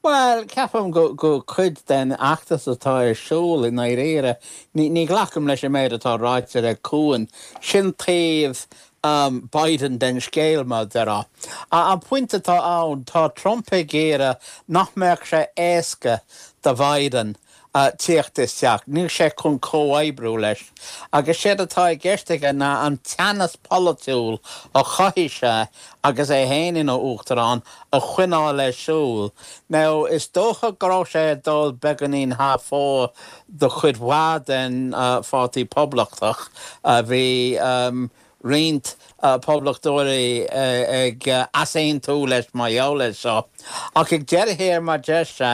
Bhuel, ceapaim go go cuid den fheachtas atá ar siúl i ndáiríre. Ní ní ghlacaim leis an méid atá ráite ag Cuan. Sin taobh Biden den scéal, mar a déarfá. An pointe atá ann, tá Trump ag iarraidh nach mbeadh sé éasca do Biden. tíocht isteach, níl sé chun comhoibriú leis. Agus séard atá i gceist aige ná an teannas polaitiúil a chothaigh sé agus é féin ina Uachtarán a choinneáil ar siúl. Now, is dócha go raibh sé ag dul beagáinín thar fóir do chuid mhaith den Pháirtí Poblachtach. Bhí roinnt Poblachtóirí ag easaontú leis mar gheall air seo. Ach ag deireadh thiar, mar deir sé,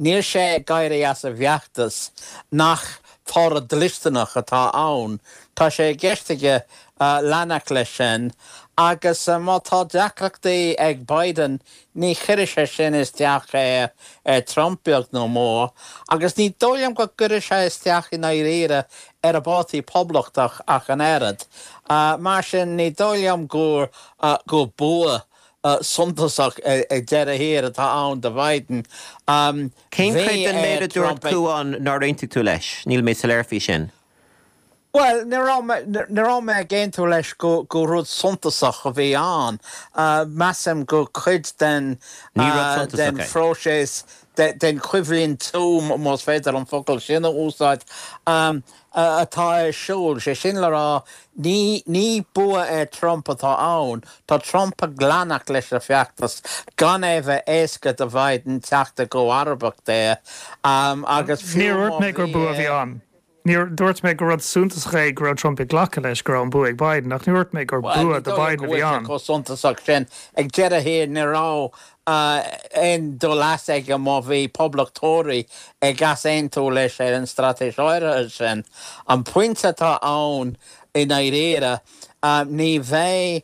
níl sé ag éirí as an bhfeachtas nach toradh dlisteanach atá ann. Tá sé i gceist aige leanacht leis sin agus má tá deacrachtaí ag Biden ní chuirfidh sé sin isteach ar Trump beag nó mór agus ní dóigh liom go gcuirfidh sé isteach i ndáiríre ar an bPáirtí Poblachtach ach an oiread. Mar sin ní dóigh liom gur gur bua suntasach ag deireadh thiar atá ann do Biden. Cén chuid den méid a dúirt Cuán nár aontaigh tú leis? Níl mé soiléir faoi sin. Bhuel, ní raibh mé, ní raibh mé ag aontú leis go, gur rud suntasach a bhí ann. Measaim gur cuid den, Ní rud suntasach den é. phróiseas, den choimhlint, más féidir an focal sin a úsáid, atá ar siúl. Sé sin le rá, ní, ní bua ar Trump atá ann. Tá Trump ag leanacht leis an feachtas gan é bheith éasca do Bhiden teacht i gcomharbacht air. Agus fiú Níor má dhúirt mé gur bhí bua a bhí é. ann. Níor dúirt mé gur rud suntasach é go raibh Trump ag glacadh leis go raibh an bua ag Biden, ach níor dhúirt mé gur Bhuel, bua ní do dóigh liom Biden go a bhí bhfuil sé ann. chomh suntasach sin. Ag deireadh thiar, ní raibh aon dul as aige má bhí poblachtóirí ag easaontú leis ar an straitéis áirithe sin. An pointe atá ann i ndáiríre, ní bheidh,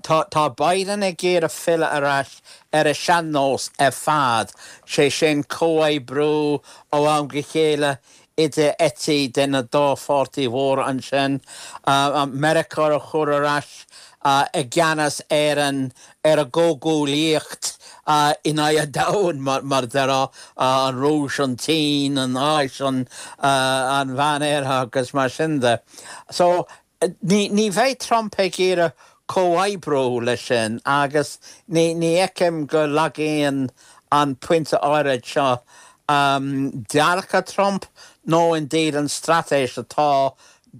tá, tá Biden ag iarraidh filleadh ar ais ar a sean-nós ar fad, sé sin comhoibriú ó am go chéile idir eití de na dá pháirtí mhóra ansin, Meiriceá a chur ar ais i gceannas ar an ar an gcomhghuaillíocht in aghaidh an domhain, mar a déarfá, an Rúis, an tSín, an Áis, an Mheánoirthear agus mar sin de. So, ní bheidh Trump ag iarraidh comhoibriú leis sin agus ní fheicim go lagaíonn an pointe áirid seo dearcadh Trump nó indeed an straitéis atá,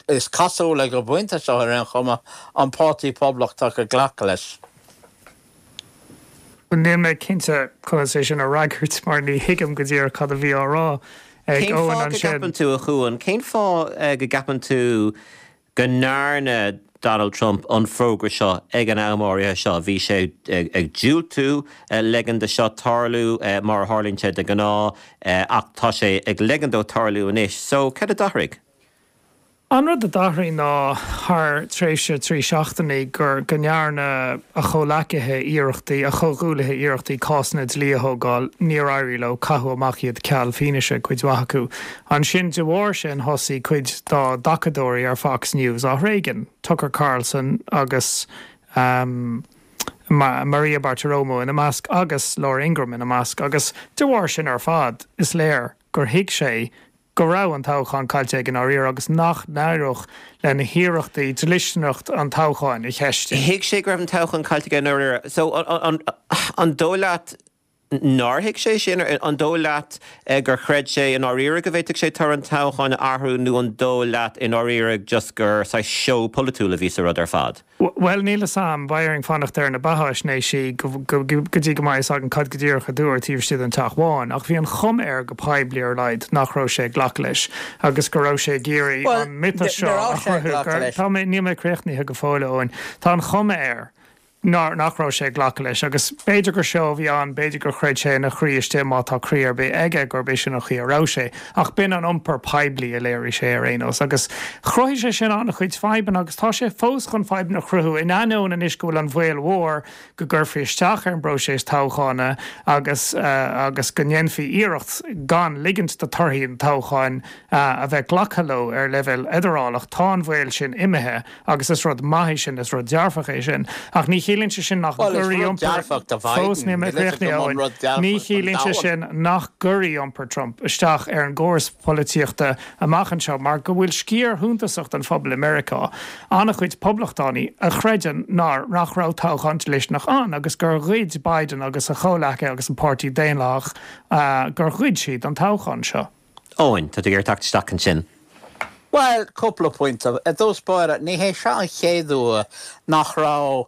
is cosúil ag an bpointe seo ar aon chuma, an Páirtí Poblachtach ag glacadh leis. Níl mé cinnte conas é sin a fhreagairt mar ní thuigim go díreach cad a bhí á rá ag Cén Eoin fáth go ansin. gceapann tú, a Chuain, cén fáth go gceapann tú go ndearna Donald Trump an fógra seo ag an am áirithe seo? Bhí sé ag diúltú ligean do seo tarlú mar a tharlaíonn sé de ghnáth ach tá sé ag ligean dó tarlú anois. So, cad a d'athraigh? An rud a d'athraigh ná thar tréimhse 3 seachtainí gur go ndearna a chomhleacaithe iarrachtaí, a chomhghuaillithe iarrachtaí cásanna dlí a thógáil, níor éirigh leo, caitheadh amach iad ceal fianaise, cuid mhaith acu. Ansin de bharr sin thosaigh cuid dá dtacadóirí ar Fox News á thréigean, Tucker Carlson agus Maria Bartiromo ina measc agus Laura Ingraham ina measc agus de bharr sin ar fad is léir gur thuig sé go raibh an toghchán caillte aige i ndáiríre agus nach n-éireodh lena hiarrachtaí dlisteanacht an toghcháin a cheistiú. Thuig sé go raibh an toghchán caillte aige i ndáiríre. So, an dóigh leat nár thuig sé sin? An dóigh leat gur chreid sé i ndáiríre go bhféadfadh sé toradh an toghcháin a athrú nó an dóigh leat i ndáiríre just gur saghas seó polaitiúil a bhí sa rud ar fad? Bhuel, níl 'fhios a'm. Beidh orainn fanacht ar na beatháisnéisí go dtí go mbeidh 'fhios againn cad go díreach a dúradh taobh istigh den Teach Bhán. Ach bhí an chuma air go poiblí ar a laghad nach raibh sé ag glacadh leis agus go raibh sé ag iarraidh an miotas seo a chruthú gur, tá mé, níl mé críochnaithe go fóill, a Eoin. Tá an chuma air nár, nach raibh sé ag glacadh leis agus b'fhéidir gur seó a bhí ann, b'fhéidir gur chreid sé ina chroí istigh, má tá croí ar bith aige, gurb é sin an chaoi a raibh sé. Ach b'in an iompar poiblí a léirigh sé ar aon nós agus chruthaigh sé sin an-chuid fadhbanna agus tá sé fós chun fadhbanna a chruthú in ainneoin anois go bhfuil an bhaol mhór go gcuirfí isteach ar an bpróiseas toghchána agus agus go ndéanfaí iarracht gan ligint do torthaí an toghcháin a bheith glactha leo ar leibhéal fheidearálach. Tá an bhaol sin imithe. Agus is rud maith é sin, is rud dearfach é sin. Ach ní chiallaíonn sé sin nach Bhuel, is gcuirfidh rud iompar, dearfach do fós Biden, níl mé níl a fhios críochnaithe, agam an Eoin, rud dearfach ní don chiallaíonn sé domhan. sin nach gcuirfidh iompar Trump isteach ar an gcóras polaitíochta amach anseo mar go bhfuil sciar shuntasach den phobal i Meiriceá, an-chuid poblachtánaigh, a chreideann nár, nach raibh toghchán dlisteanach ann agus gur ghoid Biden agus a chomhleacaithe agus an Páirtí Daonlathach, gur ghoid siad an toghchán seo. Eoin, tá tú ag iarraidh teacht isteach ansin. Bhuel, cúpla pointe. I dtús báire, ní hé seo an chéad uair nach raibh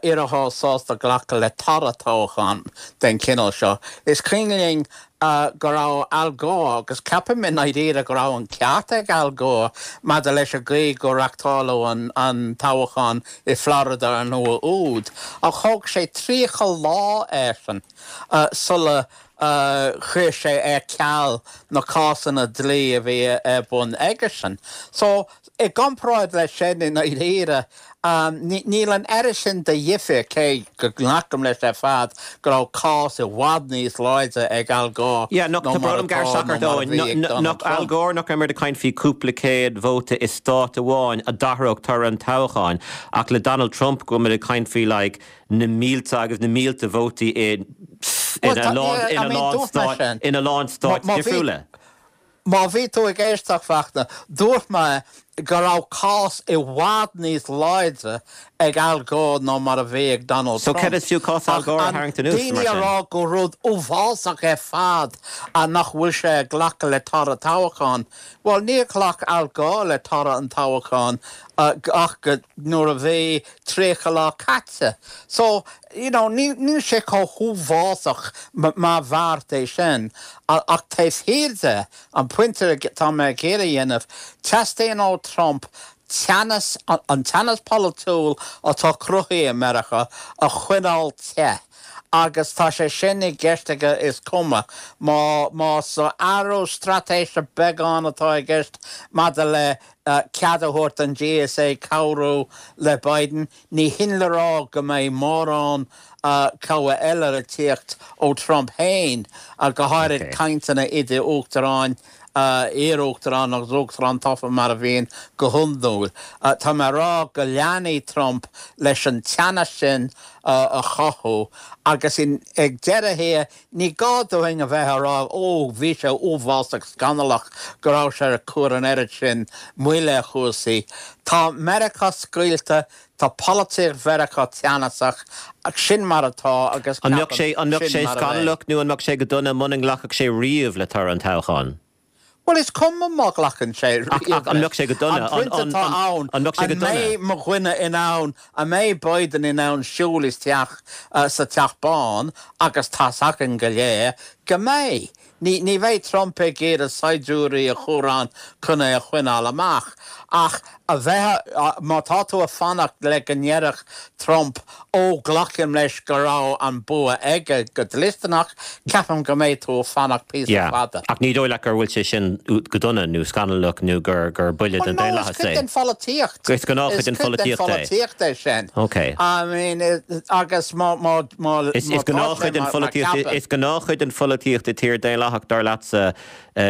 iarrthóir sásta glacadh le toradh toghcháin den chineál seo. Is cuimhin linn go raibh Al Gore, agus ceapaim i ndáiríre go raibh an ceart ag Al Gore maidir leis an gcaoi gur reachtáladh an toghchán i Florida an uair úd, ach thóg sé 30 lá airsean sula chuir sé ar ceal na cásanna dlí a bhí ar bun aigesean. So, i gcomparáid leis sin, i ndáiríre, níl an oiread sin de dhifear, cé go nglacaim leis ar fad go raibh cás i bhfad níos láidre ag Al Gore Yeah, nach, ná tá mar brón orm atá gearr nó isteach ort, mar a Eoin. bhí ag Donald Nach Al Trump. Gore, nach raibh muid ag caint faoi cúpla céad vóta i stát amháin a d'athródh toradh an toghcháin, ach le Donald Trump go bhfuil muid ag caint faoi like na mílte agus na mílte vótaí i Bhuel, ina tá, lán, yeah, I ina mean, lán dúirt mé stáit, sin. ina lán Má, stáit má bhí, difriúla. má bhí tú ag éisteacht, Fachtna, dúirt mé go raibh cás i bhfad níos láidre ag Al Gore ná mar a bhí ag Donald So céard Trump. is fiú cás Al Ach Gore a an tharraingt anuas, daoine mar a sin? rá gur rud uafásach ar fad nach bhfuil sé ag glacadh le toradh toghcháin, bhuel, níor ghlac Al Gore le toradh an toghcháin ach go nuair a bhí 30 lá caite. So, you know, níl, níl sé chomh huafásach mar bheart é sin. Ach taobh thiar de, an pointe atá mé ag iarraidh a dhéanamh, teastaíonn ó Trump teannas, an teannas polaitiúil atá cruthaithe i Meiriceá a choinneáil te. Agus tá sé sin i gceist aige is cuma má, más athrú straitéise beagán atá i gceist maidir le cead a thabhairt don GSA cabhrú le Biden, ní hin le rá go mbeidh mórán cabhair eile ag tíocht ó Trump féin, go háirid cainteanna idir uachtaráin, iar-uachtarán agus uachtarán tofa mar a bhíonn go hiondúil. Tá mé ag rá go leanfaidh Trump leis an teannas sin a chothú agus ag deireadh thiar, Ní gá dúinn a bheith ag rá, 'Ó, bhí sé uafásach scannalach go raibh sé ag cur an oiread sin moille ar chúrsaí. Tá Meiriceá scoilte, tá polaitíocht Mheiriceá teannasach, ach sin mar atá agus An mbeadh ceapaim sé, an mbeadh sin sé mar a bheidh. scannalach nó an mbeadh sé go dona muna nglacfadh sé riamh le toradh an toghcháin? Bhuel, is cuma má ghlacann sé Ach, riamh ach an leis. mbeadh sé go dona? An pointe An, atá an, ann, an mbeadh sé an go dona? mbeidh mo dhuine in ann, an mbeidh Biden in ann siúl isteach sa Teach Bán agus tá's againn go léir go mbeidh. Ní, ní bheidh Trump ag iarraidh saighdiúirí a chur ann chun é a choinneáil amach. Ach a bheith, má tá tú ag fanacht le go ndéarfadh Trump Ó, glacaim leis go raibh an bua aige go dlisteanach, ceapaim go mbeidh tú ag fanacht píosa Yeah. fada. Ach ní dóigh leat gur bhfuil sé sin go dona nó scannalach nó gur gur buille Well don no, is daonlathas cuid é. den pholaitíocht. Is gnáthchuid Is den cuid den pholaitíocht é. pholaitíocht é sin. Ok. I mean, agus má, má, má, Is má is tá sé gnáthchuid den mar, mar pholaitíocht ceapaim. is gnáthchuid den pholaitíocht i tír daonlathach dar leatsa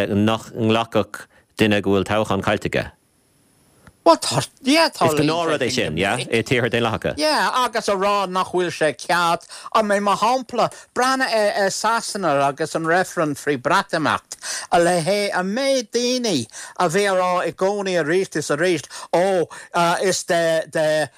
nach nglacfadh duine go bhfuil toghchán caillte aige. Bhuel, tá, yeah, Is tarlaíonn sé gnáthrud é sin go sin, yeah, minic. i tíortha daonlathacha. Yeah, agus a rá nach bhfuil sé ceart. I mean, mar shampla, breathnaigh ar, ar Sasana agus an reifreann faoi Breatimeacht, a leithéid, an méid daoine a bhí a rá i gcónaí arís is arís, ó, is de, de,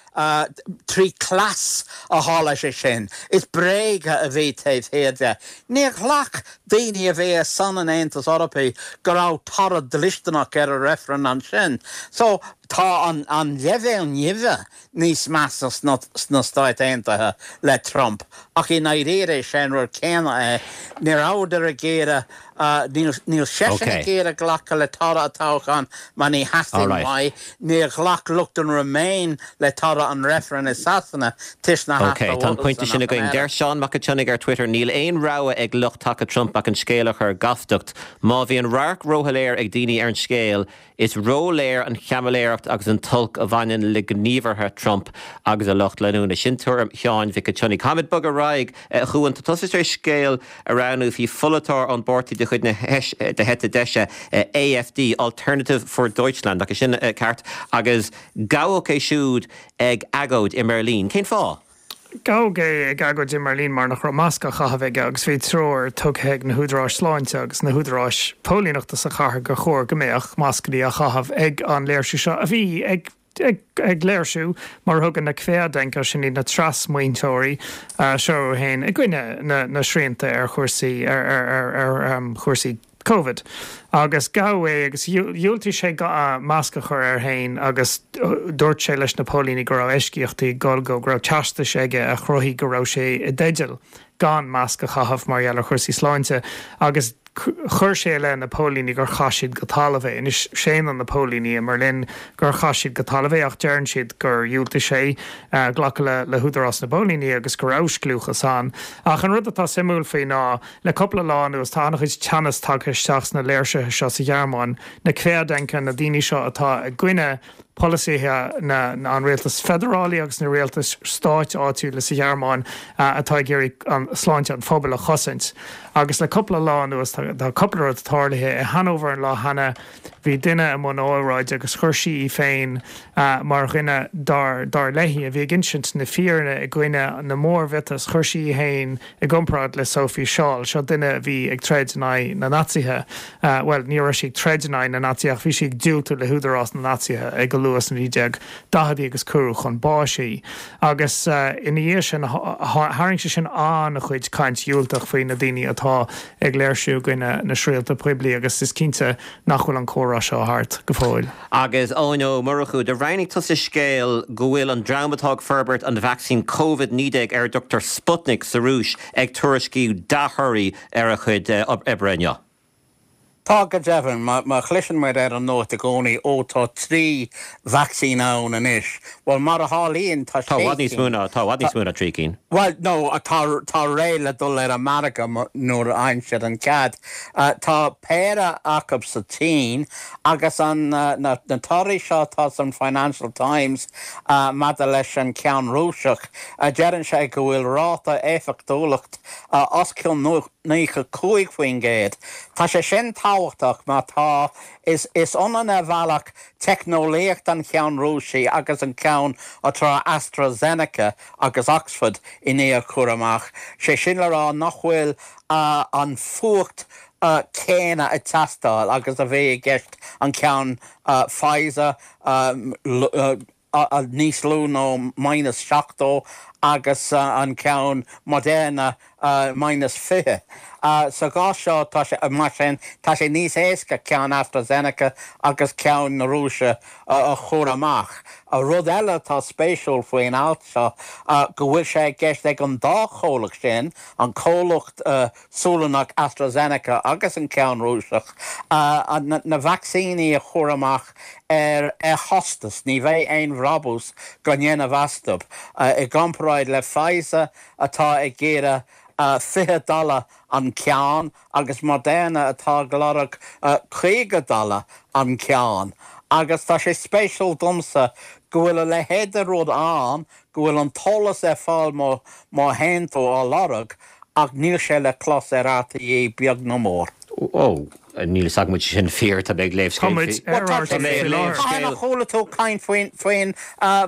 3 cleas a tharla sé sin. Is bréaga a bhí taobh thiar de. Níor ghlac daoine a bhí ar son an Aontais Eorpaigh go raibh toradh dlisteanach ar an reifreann ansin. So, tá an an leibhéal nimhe níos measa sna sna Stáit Aontaithe le Trump ach i ndáiríre is é an rud céanna é. Ní rabhadar ag iarraidh Níl níl seisean ag iarraidh glacadh le toradh an toghcháin mar ní theastaíonn uaidh. Níor ghlac lucht an Remain le toradh an reifrinn i Sasana toisc nár Ok, theastaigh tá an pointe uathusan sin ach an againn. Deir oiread. Seán Mac an tSionnaigh ar Twitter, Níl aon rogha ag lucht taca Trump ach an scéal a chur gastacht. Má bhíonn radharc róshoiléir ag daoine ar an scéal, Is róléir an chaimiléireacht agus an t-olc a bhaineann le gníomhartha Trump agus a lucht leanúna. Sin tuairim Sheáin Mhic an tSionnaigh. Caithfimid bogadh ar aghaidh, a Chuain. Tá tusa tar éis scéal a roghnú faoi pholaiteoir ón bpáirtí de chuid na heite deise, AfD, Alternative für Deutschland, nach é sin ceart? Agus gabhadh é siúd ag agóid i mBeirlín. Cén fáth? Gabhadh é ag agóid i mBeirlín mar nach raibh masc á chaitheamh aige agus bhí treoir tugtha ag na húdaráis sláinte agus na húdaráis póilíneachta sa chathair gur chóir go mbeadh mascanna á chaitheamh ag an léirsiú seo a bhí ag ag léirsiú mar a thugann na Querdenker, sin iad na trasmaointeoirí seo orthu féin, i gcoinne na na srianta ar chúrsaí ar ar ar ar chúrsaí Covid. Agus gabhadh é agus dhiúltaigh sé masc a chur air féin agus dúirt sé leis na póilíní go raibh eisceachtaí ag dul dó, go raibh teastais aige a chruthaigh go raibh sé i dteideal gan masc a chaitheamh mar gheall ar chúrsaí sláinte agus chuir sé i leith na póilíní gur chaith siad go talamh é. Anois séanann na póilíní i mBerlin gur chaith siad go talamh é ach deireann siad gur dhiúltaigh sé glacadh le húdarás na bpóilíní agus go raibh scliúchas ann. Ach an rud atá suimiúil faoi ná le cúpla lá anuas tá an-chuid teannas tagtha isteach sna léirsithe seo sa Ghearmáin, na Querdenker, na daoine seo atá i gcoinne polasaithe na an rialtas feidearálaí agus na rialtais stáit áitiúla sa Ghearmáin atá ag iarraidh an sláinte an phobail a chosaint. Agus le cúpla lá anuas tá cúpla rud tarlaithe. I Hanover an lá cheana bhí duine i mbun óráide agus chuir sí í féin mar dhuine dar dar léi a bhí ag insint na fírinne i gcoinne na mórmhiotas. Chuir sí í féin i gcomparáid le Sophie Scholl, seo duine a bhí ag troid in aghaidh na Naitsithe, bhuel, ní raibh sí ag troid in aghaidh na Naitsithe ach bhí sí ag diúltú le húdarás na Naitsithe ag go luath sna 1940idí agus cuireadh chun báis í. Agus ina dhiaidh sin, tharraing sé sin an-chuid caint dhiúltach faoi na daoine atá ag léirsiú i gcoinne na srianta poiblí agus is cinnte nach bhfuil an comhrá seo thart go fóill. Agus Eoin Ó Murchú, do roghnaigh tusa scéal go bhfuil an dream atá ag forbairt an vacsaín Covid-19 ar a dtugtar Sputnik sa Rúis ag tuairisciú dea-thorthaí ar a chuid oibre inniu. Tá, go deimhin. Má chloiseann muid ar an nuacht i gcónaí, ó tá 3 vacsaín ann anois, bhuel mar a tharlaíonn tá 6 cinn. Tá i bhfad níos mó ná, tá i bhfad níos mó ná 3 cinn. Bhuel, no, tá, tá réidh le dul ar an margadh nuair a fhaigheann siad an cead. Tá péire acu sa tSín agus an, na torthaí seo atá san Financial Times maidir leis an ceann Rúiseach, deireann sé go bhfuil ráta éifeachtúlacht os cionn 95%. Tá sé sin tábhachtach mar tá, is ionann ar bhealach teicneolaíocht an cheann Rúisigh agus an ceann atá AstraZeneca agus Oxford i ndiaidh a chur amach, sé sin le rá nach bhfuil an fuacht céanna ag teastáil agus a bhí i gceist an ceann Pfizer, níos lú ná minus 70 agus an ceann Moderna minus 20. Sa gcás seo, tá sé, mar sin, tá sé níos éasca ceann AstraZeneca agus ceann na Rúise a chur amach. Rud eile atá spéisiúil faoin alt seo go bhfuil sé i gceist ag an dá chomhlacht sin, an comhlacht Sualannach AstraZeneca agus an ceann Rúiseach, na vacsaíní a chur amach ar chostas, ní bheidh aon bhrabús á ndéanamh astu, i gcomparáid le Pfizer atá ag iarraidh 20 dollar an ceann agus Moderna atá ag lorg 50 dollar an ceann. Agus tá sé spéisiúil domsa go bhfuil a leithéid de rud ann, go bhfuil an t-eolas ar fáil má théann tú á lorg, ach níl sé le clos ar RTÉ beag ná mór. Ó, níl fhios agam an bhfuil sé sin fíor, tá mé ag léamh scéal faoi. Tá muid ar RTÉ faoi láthair. Cathain a chuala tú caint faoin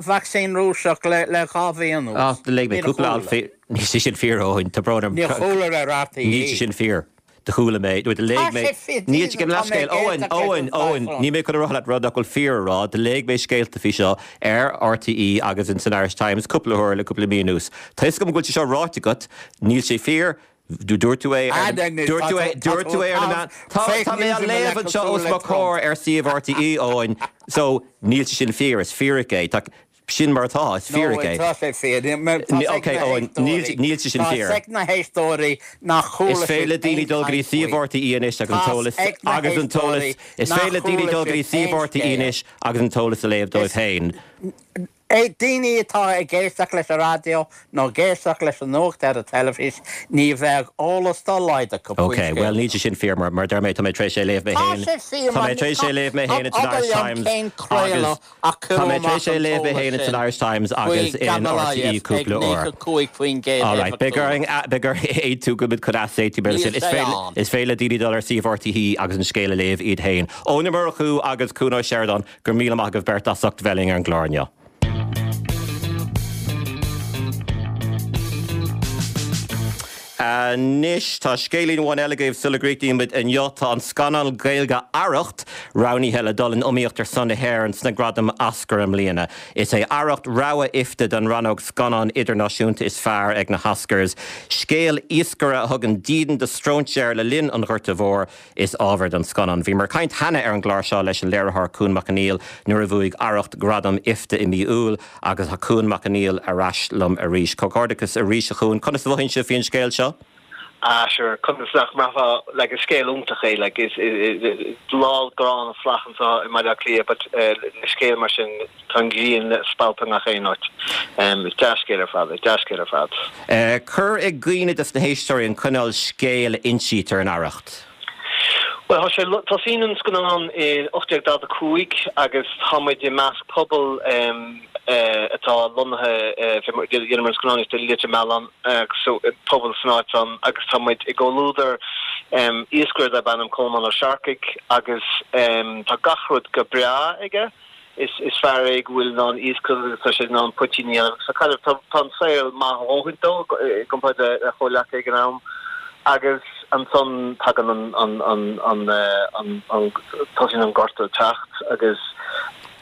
vacsaín Rúiseach le 2 mhí anuas? Ah, léigh mé cúpla alt faoi. Níl sé sin fíor, Eoin, tá brón orm. Níor chuala ar RTÉ. Níl sé sin fíor. Do chuala mé, nó do léigh mé, níl sé, gabh mo leithscéal, Eoin, Eoin, Eoin, níl mé chun a rá leat rud nach bhfuil fíor a rá, do léigh mé scéalta faoi seo ar RTÉ agus in san Irish Times cúpla huair le cúpla mí anuas. Tá fhios agam go bhfuil sé seo ráite agat, níl sé fíor, dúirt tú é ar, dúirt tú é, dúirt tú é ar na meáin, tá, tá mé á léamh anseo os mo chomhair ar suíomh RTÉ, Eoin, so níl sé sin fíor, is fíric é, tá, Sin mar atá, is fíric é. No, tá sé fíor. Tá Ok, Eoin, níl sé sin fíor. Tá ag na héisteoirí nach chuala Is féidir le daoine dul go dtí suíomh RTÉ anois agus an t-eolas agus an t-eolas Is féidir le daoine dul go dtí suíomh RTÉ anois agus an t-eolas a léamh dóibh féin. Daoine atá ag éisteacht leis an raidió nó ag éisteacht leis an nuacht ar an teilifís, ní bheadh eolas dá laghad acu faoin Ok, scéal. bhuel níl sé sin fíor mar mar deir mé tá mé tar éis é a léamh mé Tá féin sé fíor Tá mar mé tar éis é a léamh mé féin in san abair Irish liom Times cén agus craoladh a Tá cuireadh mé tar amach éis é a an léamh mé t-eolas féin in san sin Irish Times faoi agus in RTÉ Gamaleya ag cúpla uair. 95% Alright, beidh orainn éifeachtúlacht. beidh orainn aontú go bhfuil muid chun easaontú mar Níl sin. Is sé féidir ann. is féidir le daoine dul ar suíomh RTÉ agus an scéal a léamh iad féin. Eoin Ó Murchú agus Cuan Ó Seireadáin, go raibh míle maith agaibh beirt as ucht bheith linn ar an gclár inniu. Anois, tá scéilín amháin eile agaibh sula gcríochnaíonn muid inniu. Tá an scannán Gaeilge Arracht roghnaithe le dul in iomaíocht ar son na hÉireann sna Gradaim Oscar i mbliana. Is é Arracht rogha IFTA don rannóg Scannán Idirnáisiúnta is Fearr ag na hOscars. Scéal iascaire a thugann dídean do stróinséir le linn an Ghorta Mhóir is ábhar don scannán. Bhíomar ag caint cheana ar an gclár seo leis an léiritheoir Cuan Mac Conghail nuair a bhuaigh Arracht gradam IFTA i mí Iúil agus tá Cuan Mac Conghail ar ais liom arís. Comhghairdeachas arís a Chuain. Conas a mhothaíonn sibh faoin scéal seo? Ah sure, conas nach mbraithfeá, like is scéal iontach é, like is lá gránna fliuch anseo i mBaile Átha Cliath but le scéal mar sin tá an ghrian ag spalpadh i ngach aon áit. Is dea-scéal ar fad é, dea-scéal ar fad. Cuir i gcuimhne dos na héisteoirí an cineál scéil a insítear in Arracht. Bhuel, tá sé, tosaíonn an scannán i 1845 agus tá muid i measc pobal atá lonnaithe, dheineamar an scannán i Leitir Mealláin, so pobal san áit san agus tá muid i gcomhluadar iascaire darb ainm Colmán Ó Searcaigh agus tá gach rud go breá aige. Is fear é go bhfuil in ann iascaireacht agus tá sé in ann poitín a dhéanamh agus tá caidreamh, tá tá an saol maith a dhóthaint dó i gcomparáid le a chomhleacaithe ag an am. Agus ansan tagann an an an an an an tosaíonn an gorta ag teacht agus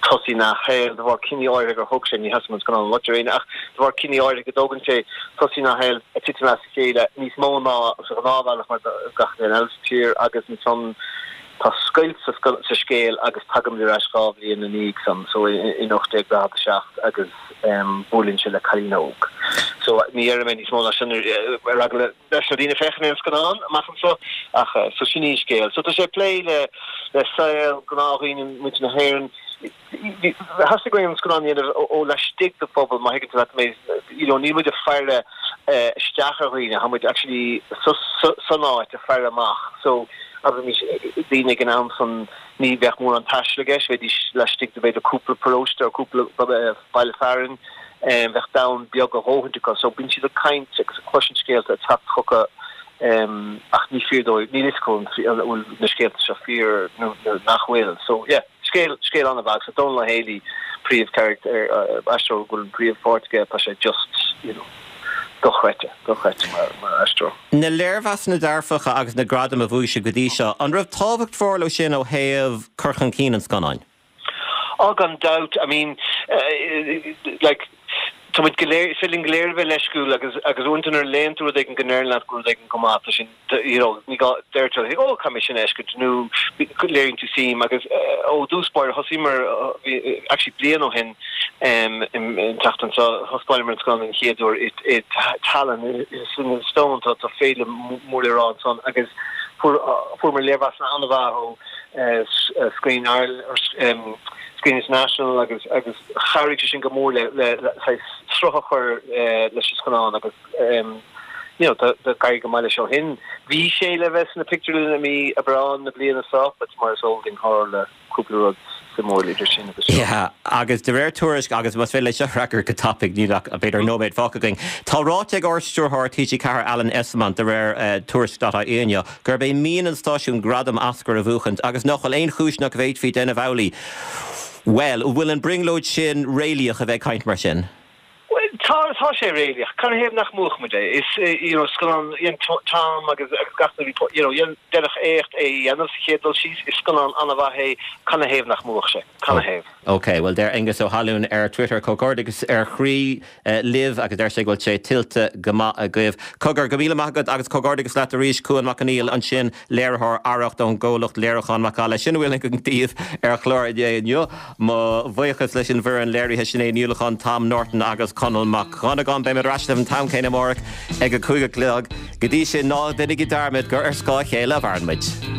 tosaíonn a shaol de bharr cinní áirithe gur thóg sé, ní theastaíonn an scannán a loit ar éinne ach de bharr cinní áirithe go dtógann sé, tosaíonn a shaol ag titim as a chéile níos mó ná sa ghnáthbhealach mar do gach duine eile sa tír agus ansan Tá scoilt sa scéal agus tagaimid ar ais 2 bhliain ina dhiaidh san, so in 1847 agus buaileann sé le cailín óg. So ní dhéarfaidh mé níos mó ná sin ar eagla leis na daoine féachaint ar an scannán amach anseo ach so sin í an scéal. So tá sé ag plé le le saol gnáthdhaoine muintir na hÉireann. Theastaigh uainn an scannán a dhéanamh ó laistigh de phobal, má thuigeann tú leat mé. You know, níl muid ag faire isteach ar dhaoine, tá muid actually san áit ag faire amach. So, abraimis, daoine ag an am san, ní bheadh mórán taistil i gceist, bheidís laistigh de b'fhéidir cúpla paróiste nó cúpla baile fearainn, bheadh domhan beag a dhóthaint acu. So, bíonn siad ag caint agus ag cloisint scéalta ag teacht chucu ach ní fíor dóibh, níl fhios acu an bhfuil na scéalta seo fíor nó nach bhfuil. So, yeah. Scéal, scéal an-mhaith agus Dónal Ó Héalaí, príomhcharachtar, aisteoir go bhfuil an príomhpháirt aige, tá sé just, you know, dochreidte, dochreidte mar, mar aisteoir. Na léirmheasanna dearfacha agus na gradaim a bhuaigh sibh go dtí seo, an raibh tábhacht mhór leo sin ó thaobh cur chun cinn an scannáin? Oh, gan dabht, I mean, like, tá muid go léir, is féidir linn go léir a bheith leisciúil agus, agus uaireanta nuair a léann tú rud éigin go ndeireann leat go bhfuil rud éigin go maith, tá sin, you know, ní gá, deir tú, oh, caithfidh mé sin a fheiscint nó léiríonn tú suim agus ó dtús báire thosaíomar, actually bliain ó shin an tseachtain seo, thaispeánamar an scannán den chéad uair i i Tallinn san Eastóin, tá tá féile mór le rá ansan agus fuair fuaireamar léirmheasanna an-mhaith ó Screen Ireland, Screen International agus agus chabhraigh sé sin go mór le le le saghas sruth a chur leis an scannán agus you know, tá ag éirí go maith leis ó shin. Bhí sé le bheith sna pictiúrlanna i mí Aibreán na bliana seo, but mar is eol duinn tharla cúpla rud suimiúil idir sin agus seo. Yeah, agus de réir tuairisc, agus más féidir leat seo a fhreagairt go tapaidh, níl ach b'fhéidir nóiméad fágtha againn, tá ráite ag Ard-Stiúrthóir TG4 Alan Esslemont, de réir tuairisc dot ie inniu, gurb é mian an stáisiúin gradam Oscar a bhuachaint agus nach bhfuil aon chúis nach bhféadfaí déanamh amhlaidh. Bhuel, an bhfuil an brionglóid sin réalaíoch a bheith ag caint mar sin? Bhuel, tá, tá sé réalaíoch. Cad ina thaobh nach mbuafadh muid é? Is, you know, scannán, dhein Tom agus agus gach duine, you know, dhein, déanadh éacht é a dhéanamh sa chéad dul síos. Is scannán an-mhaith é. Cad ina thaobh nach mbuafadh sé? Cad ina thaobh? Ok, bhuel deir Aengus Ó hAlúin ar Twitter, Comhghairdeachas ó chroí libh agus deir sé go bhfuil sé tuillte go maith agaibh. Cogar, go míle maith agat agus comhghairdeachas leat arís, Cuan Mac Conghail ansin, léiritheoir Arracht ón gcomhlacht léiriúcháin Macalla. Sin a bhfuil againn daoibh ar chlár inné inniu. Mo bhuíochas leis an bhfoireann léirithe, Sinéad Ní Uallacháin, Tom Norton agus Conall Mac Dhonnagáin. Beidh mé ar ais libh an t-am céanna amárach ag a 5 a chlog. Go dtí sin, ná déanaigí dearmad gur ar scáth a chéile a mhaireann muid.